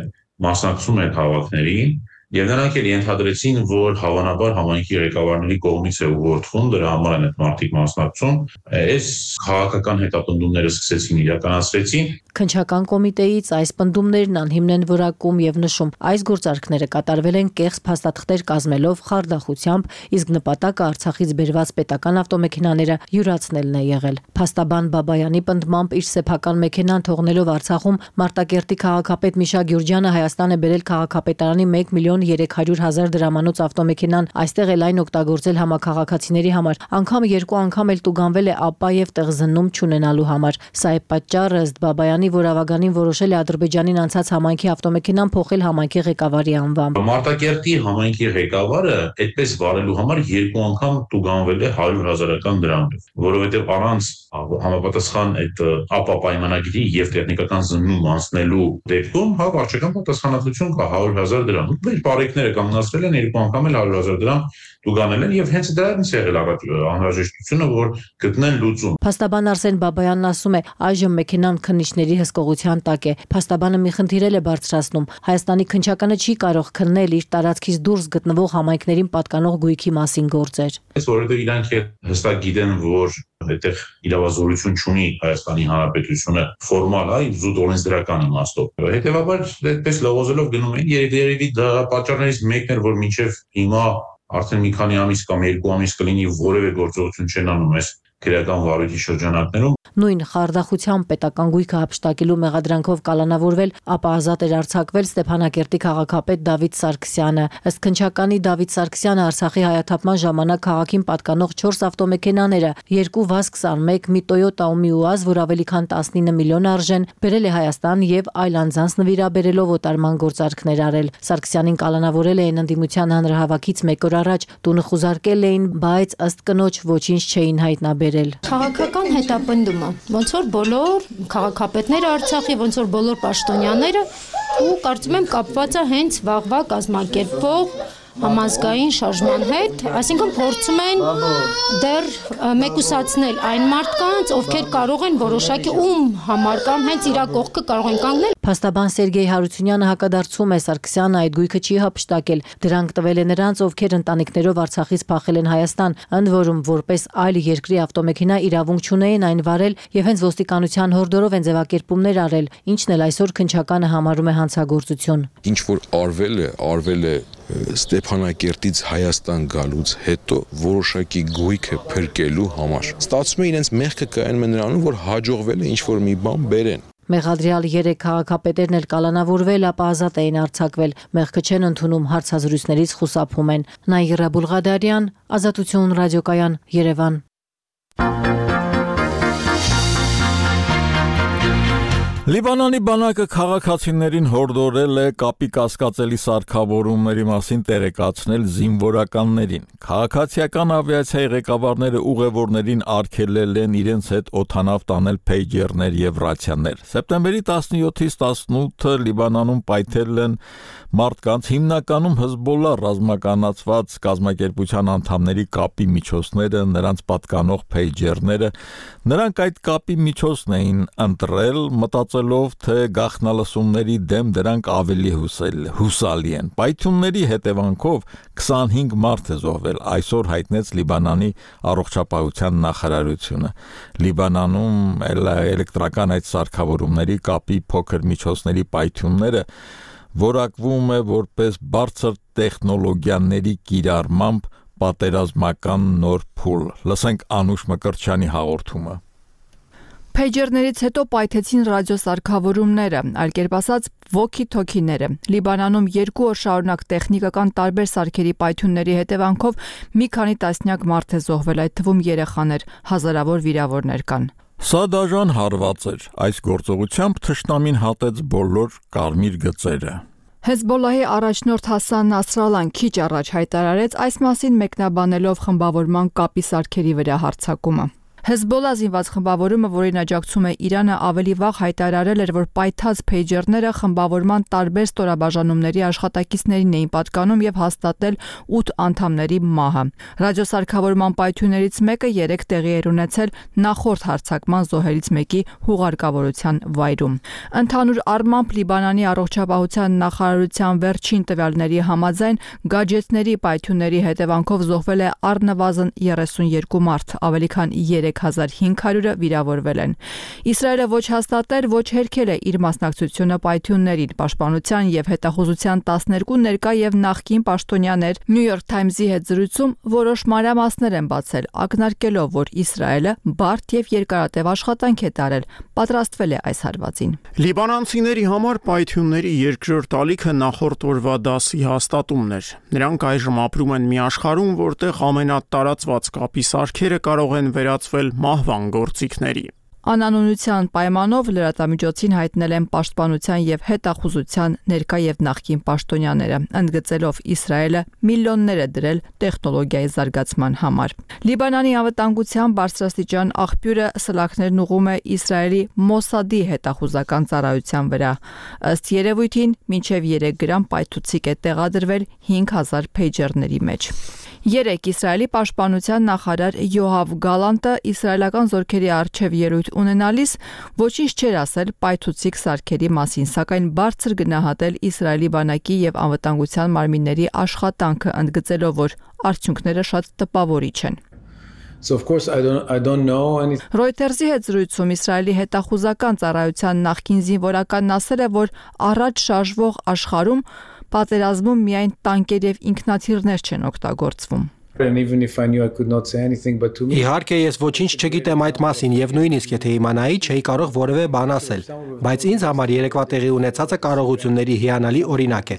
Speaker 21: մասնակցում է քաղաքներին, եւ նրանք էլ ենթադրեցին, որ հավանաբար համայնքի ղեկավարների կողմից է ուղղորդվում, դրա համար են այդ մարդիկ մասնակցում, այս քաղաքական հետապնդումները սկսեցին իրականացրեցին։
Speaker 18: Քննչական կոմիտեից այս պնդումներն անհիմն են որակում եւ նշում, այս գործարքները կատարվել են կեղծ փաստաթղթեր կազմելով խարդախությամբ, իսկ նպատակը Արցախից բերված պետական ավտոմեքենաները յուրացնելն է եղել։ Փաստաբան Բաբայանի պնդմամբ իր սեփական մեքենան թողնելով Արցախում Մարտակերտի քաղաքապետ Միշա Գյուրջյանը Հայաստան է բերել քաղաքապետարանի մեկ միլիոն երեք հարյուր հազար դրամանոց ավտոմեքենան, այստեղ էլ այն օգտագործել համակաղաքացիների համար, անգամ երկու անգամ էլ տուգանվել է ապա եւ տեղզննում չունենալու համար։ Սա է պատճառը, ըստ Բաբայանի, որ ավագանին որոշել է Ադրբեջանին անցած համայնքի ավտոմեքենան փոխել համայնքի ղեկավարի անվամբ։
Speaker 21: Մարտակերտի համայնքի ղեկավարը այդպես վարելու համար երկու անգամ տուգանվել է հարյուր հազարական դրամով, որովհետեւ առանց համապատասխան այդ ապա պայմանագրի եւ տեխնիկական զննում անցնելու դեպքում հա վարչական պատասխանատվություն կա հարյուր հազար դրամ։ Բարեկները կանգնացրել են երկու անգամ էլ հարյուր հազար դրամ տուգանել են եւ հենց դրանից եղել առաջ անհրաժեշտությունը, որ գտնեն լուծում։
Speaker 18: Փաստաբան Արսեն Բաբայանն ասում է, այժմ մեքենան քննիչների հսկողության տակ է։ Փաստաբանը մի խնդիր է բարձրացնում։ Հայաստանի քննչականը չի կարող քննել իր տարածքից դուրս գտնվող համայնքներին պատկանող գույքի մասին գործեր։
Speaker 21: Այս որովհետեւ իրանք հստակ գիտեն, որ այդտեղ իրավազորություն չունի Հայաստանի Հանրապետությունը ֆորմալ, այ զուտ օրենսդրական իմաստով։ Հետևաբար այդպես լողոզելով գնում են, երևի դա պատճառներից մեկն էր, որ մինչև հիմա արդեն մի քանի ամիս կամ երկու ամիս կլինի որևէ գործողություն չեն անում այս քրեական վարույթի շրջանակներում։
Speaker 18: Նույն խարդախությամբ պետական գույքը հափշտակելու մեղադրանքով կալանավորվել, ապա ազատ էր արձակվել Ստեփանակերտի քաղաքապետ Դավիթ Սարգսյանը։ Ըստ քննչականի Դավիթ Սարգսյանը Արցախի հայաթափման ժամանակ քաղաքին պատկանող չորս ավտոմեքենաները, երկու վազ քսանմեկ, մի Toyota ու մի ուազ, որ ավելի քան տասնինը միլիոն արժեն, բերել է Հայաստան եւ այլ անձանց նվիրաբերելով օտարման գործարքներ արել։ Սարգսյանին կալանավորել էին ընդդիմության հանրահավաքից մեկ օր առաջ, տունը խուզարկել էին, բայց ըստ կնոջ ոչինչ չէին հայտնաբերել։
Speaker 2: Քաղաքական հետապնդումը, ոնց որ բոլոր քաղաքապետները Արցախի, ոնց որ բոլոր պաշտոնյաները, ու կարծում եմ կապված է հենց վաղվա կազմակերպվող համազգային շարժման հետ, այսինքն փորձում են դեռ մեկուսացնել այն մարդկանց, ովքեր կարող են որոշակի ում համար կամ հենց իրա կողքը կարող են կանգնել։
Speaker 18: Փաստաբան Սերգեյ Հարությունյանը հակադարձում է, Սարգսյանը այդ գույքը չի հափշտակել, դրանք տվել է նրանց, ովքեր ընտանիքներով Արցախից փախել են Հայաստան, ընդ որում որպես այլ երկրի ավտոմեքենա իրավունք չունեին այն վարել եւ հենց ոստիկանության հորդորով են ձևակերպումներ արել, ինչն էլ այսօր քննչականը համարում է հանցագործություն։
Speaker 22: Ինչ որ արվել է, արվել է Ստեփանակերտից Հայաստան գալուց հետո որոշակի գույքը փրկելու համար։ Ստացվում է իրենց մեղքը կայանում է նրանում, որ հաջողվել է ինչ որ մի բան բերեն։
Speaker 18: Մեղադրյալ երեք քաղաքապետերն էլ կալանավորվել, ապա ազատ էին արձակվել։ Մեղքը չեն ընդունում, հարցազրույցներից խուսափում են։ Նաիրա Բուլղադարյան, Ազատություն ռադիոկայան, Երևան։
Speaker 1: Լիբանանի բանակը քաղաքացիներին հորդորել է կապի կասկածելի սարքավորումների մասին տեղեկացնել զինվորականներին։ Քաղաքացիական ավիացիայի ղեկավարները ուղևորներին արգելել են իրենց հետ օդանավ տանել փեյջերներ եւ ռացիաներ։ Սեպտեմբերի տասնյոթից տասնութը Լիբանանում պայթել են մարդկանց, հիմնականում Հզբոլլա ռազմականացված կազմակերպության անդամների կապի միջոցները, նրանց պատկանող փեյջերները, նրանք այդ կապի միջոցն էին ընտրել, մտածելով, թե գաղտնալսումների դեմ դրանք ավելի հուսալի են։ Պայթյունների հետևանքով քսանհինգ մարդ է զոհվել, այսօր հայտնեց Լիբանանի առողջապահության նախարարությունը։ Լիբանանում էլեկտրական այդ սարքավորումների կապի փոքր միջոցների պայթյունները որակվում է որպես բարձր տեխնոլոգիաների կիրառմամբ պատերազմական նոր փուլ։ Լսենք Անուշ Մկրտչյանի հաղորդումը։
Speaker 3: Փեյջերներից հետո պայթեցին ռադիոսարքավորումները, այլ կերպ ասած վոքի-թոքիները։ Լիբանանում երկու օր շարունակ տեխնիկական տարբեր սարքերի պայթյունների հետևանքով մի քանի տասնյակ մարդ է զոհվել, այդ թվում երեխաներ, հազարավոր վիրավորներ կան։
Speaker 1: Սա դաժան հարված էր։ Այս գործողությամբ թշնամին հատեց բոլոր կարմիր գծերը։
Speaker 3: Հեզբոլլահի առաջնորդ Հասան Նասրալան քիչ առաջ հայտարարեց այս մասին մեկնաբանելով խմբավորման կապի սարքերի վրա հարձակումը։ Հեզբոլլա զինված խմբավորումը, որին աջակցում է Իրանը, ավելի վաղ հայտարարել էր, որ պայթած փեյջերները խմբավորման տարբեր ստորաբաժանումների աշխատակիցներին էին պատկանում եւ հաստատել ութ անդամների մահը։ Ռադիոսարքավորման պայթյուններից մեկը երեք տեղի էր ունեցել նախորդ հարձակման զոհերից մեկի հուղարկավորության վայրում։ Ընդհանուր առմամբ Լիբանանի առողջապահության նախարարության վերջին տվյալների համաձայն գաջեթների պայթյունների հետևանքով զոհվել է առնվազն երեսունյոթ մարդ, ավելի քան երեք հազար հինգ հարյուրը վիրավորվել են։ Իսրայելը ոչ հաստատել, ոչ հերքել է իր մասնակցությունը պայթյուններին։ Պաշտպանության եւ հետախուզության տասներկու ներկա եւ նախկին պաշտոնյաներ New York Times-ի հետ զրույցում որոշ մանրամասներ են բացել, ակնարկելով, որ Իսրայելը բարդ եւ երկարատև աշխատանք է տարել, պատրաստվել է այս հարվածին։
Speaker 7: Լիբանանցիների համար պայթյունների երկրորդ ալիքը նախորդ օրվա դասի հաստատումն էր։ Նրանք այժմ ապրում են մի աշխարհում, որտեղ ամենատարածված կապի սարքերը կարող են վերածվել մահվան գործիքների։
Speaker 3: Անանունության պայմանով լրատվամիջոցին հայտնել են պաշտպանության եւ հետախուզության ներկա եւ նախկին պաշտոնյաները, ընդգծելով Իսրայելը միլիոններ է դրել տեխնոլոգիայի զարգացման համար։ Լիբանանի անվտանգության բարձրաստիճան աղբյուրը սլաքներն ուղում է Իսրայելի Մոսադի հետախուզական ծառայության վրա։ Ըստ երևույթին, մինչև երեք գրամ պայթուցիկ է տեղադրվել հինգ հազար փեյջերների մեջ։ Երեք Իսրայելի պաշտպանության նախարար Յոհավ Գալանտը իսրայելական զորքերի առջև ելույթ ունենալիս ոչինչ չէր ասել պայթուցիկ սարքերի մասին, սակայն բարձր գնահատել Իսրայելի բանակի եւ անվտանգության մարմինների աշխատանքը, ընդգծելով, որ արդյունքները շատ տպավորիչ են։
Speaker 23: So of course I don't I don't know any
Speaker 3: Reuters-ի հետ զրույցում Իսրայելի հետախուզական ծառայության նախկին զինվորականն ասել է, որ առաջ շարժվող աշխարհում պատերազմում միայն տանկեր եւ ինքնաթիռներ չեն օգտագործվում։
Speaker 23: And even if I knew I could not say anything but to me
Speaker 24: Իհարկե ես ոչինչ չգիտեմ այդ մասին եւ նույնիսկ եթե իմանայի չէի կարող որևէ բան ասել, բայց ինձ համար երեկվա տեղի ունեցածը կարողությունների հիանալի օրինակ է։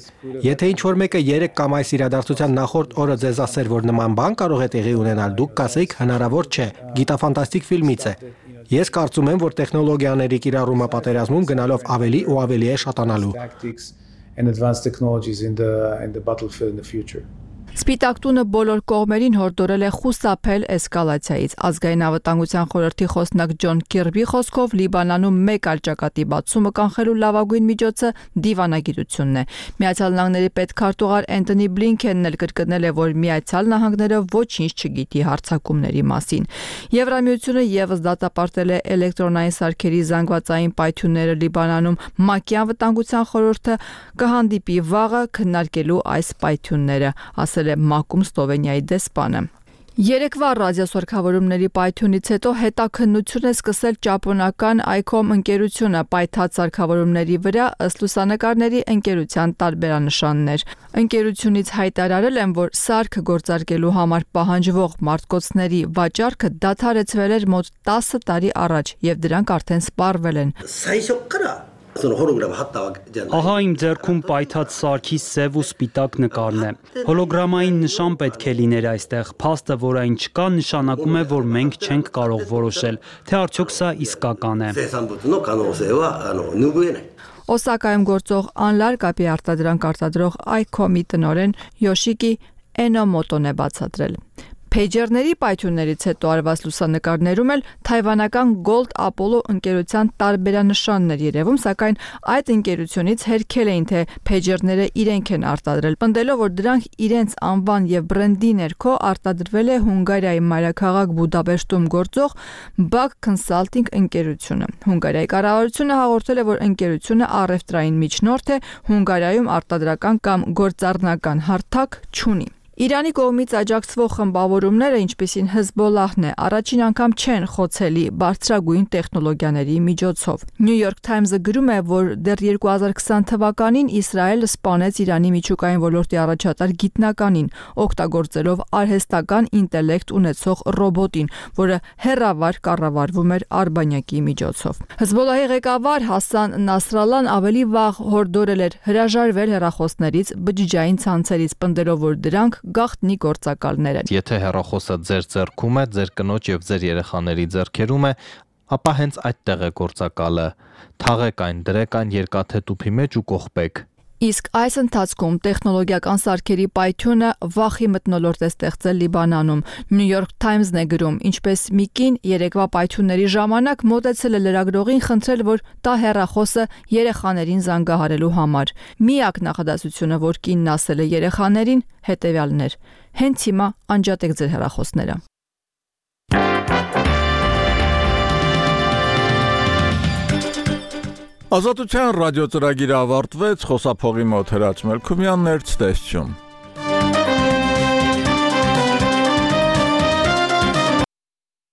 Speaker 24: Եթե ինչ-որ մեկը երեք կամ այս իրադարձության նախորդ օրը ձեզ ասեր, որ նման բան կարող է տեղի ունենալ, դուք կասեիք հնարավոր չէ, գիտաֆանտաստիկ ֆիլմից է։ Ես կարծում եմ, որ տեխնոլոգիաների կիրառումը պատերազմում գնալով ավելի ու ավելի է շատանալու։
Speaker 23: and advanced technologies in the in the battlefield in the future.
Speaker 3: Սպիտակ տունը բոլոր կողմերին հորդորել է խուսափել էսկալացիայից։ Ազգային անվտանգության խորհրդի խոսնակ Ջոն Քիրբի խոսքով Լիբանանում մեկ այլ ճակատի բացումը կանխելու լավագույն միջոցը դիվանագիտությունն է։ Միացյալ Նահանգների պետքարտուղար Էնթոնի Բլինքենն էլ կրկնել է, որ Միացյալ Նահանգները ոչինչ չգիտի հարձակումների մասին։ Եվրամիությունը եւս դատապարտել է էլեկտրոնային սարքերի զանգվածային պայթյունները Լիբանանում։ ՄԱԿ-ի անվտանգության խորհուրդը կհանդիպի վաղը քննարկելու այս պայթյունները, ասել է ՄԱԿ-ում Սլովենիայի դեսպանը։ Երեկվա ռադիոսարքավորումների պայթյունից հետո հետաքննություն է սկսել ճապոնական Icom ընկերությունը պայթած սարքավորումների վրա, ըստ լուսանկարների ընկերության տարբերանշաններ։ Ընկերությունից հայտարարել են, որ սարքը գործարկելու համար պահանջվող մարտկոցների վաճառքը դադարեցվել էր մոտ տասը տարի առաջ եւ դրանք արդեն սպառվել են։
Speaker 4: Ահա իմ ձեռքում պայթած սարքի սև ու սպիտակ նկարն է։ Հոլոգրամային նշան պետք է լիներ այստեղ։ Փաստը, որ այն չկա, նշանակում է, որ մենք չենք կարող որոշել, թե արդյոք սա իսկական է։
Speaker 3: Օսակայում գործող անլար կապի արտադրանք արտադրող Icom-ի տնօրեն Յոշիկի Էնոմոտոն է բացատրել։ Փեյջերների պայթյուններից հետո արված լուսանկարներում էլ թայվանական Gold Apollo ընկերության տարբերանշաններ երևում, սակայն այդ ընկերությունից հերքել էին, թե փեյջերները իրենք են արտադրել, պնդելով, որ դրանք իրենց անվան եւ բրենդի ներքո արտադրվել է Հունգարիայի մայրաքաղաք Բուդապեշտում գործող Bug Consulting ընկերությունը։ Հունգարիայի կառավարությունը հաղորդել է, որ ընկերությունը առևտրային միջնորդ է, Հունգարիայում արտադրական կամ գործառնական հարթակ չունի։ Իրանի կողմից աջակցվող խմբավորումները, ինչպիսին Հեզբոլլահն է, առաջին անգամ չեն խոցելի բարձրագույն տեխնոլոգիաների միջոցով։ New York Times-ը գրում է, որ դեռ երկու հազար քսան թվականին Իսրայելը սպանեց Իրանի միջուկային ոլորտի առաջատար գիտնականին, օգտագործելով արհեստական ինտելեկտ ունեցող ռոբոտին, որը հեռավար կառավարվում էր արբանյակի միջոցով։ Հեզբոլլահի ղեկավար Հասան Նասրալլան ավելի վաղ հորդորել էր հրաժարվել հեռախոսներից, բջջային ցանցերից, պնդելով, որ դրանք գաղտնի գործակալներ են։
Speaker 6: Եթե հեռախոսը ձեր ձեռքում է, ձեր կնոջ եւ ձեր երեխաների ձեռքերում է, ապա հենց այդտեղ է գործակալը։ Թաղեք այն, դրեք այն երկաթե տուփի մեջ ու կողպեք։
Speaker 3: Իսկ այս ընթացքում տեխնոլոգիական սարքերի պայթյունը վախի մթնոլորտ է ստեղծել Լիբանանում։ New York Times-ն է գրում, ինչպես մի կին երեկվա պայթյունների ժամանակ մոտեցել է լրագրողին խնդրել, որ տա հեռախոսը երեխաներին զանգահարելու համար։ Միակ նախադասությունը, որ կինն ասել է երեխաներին, հետևյալն էր. հենց հիմա անջատեք ձեր հեռախոսները։
Speaker 1: Ազատության ռադիոծրագիրը ավարտվեց, խոսափողի մոտ Հրաչ Մելքումյանն էր, ցտեսություն։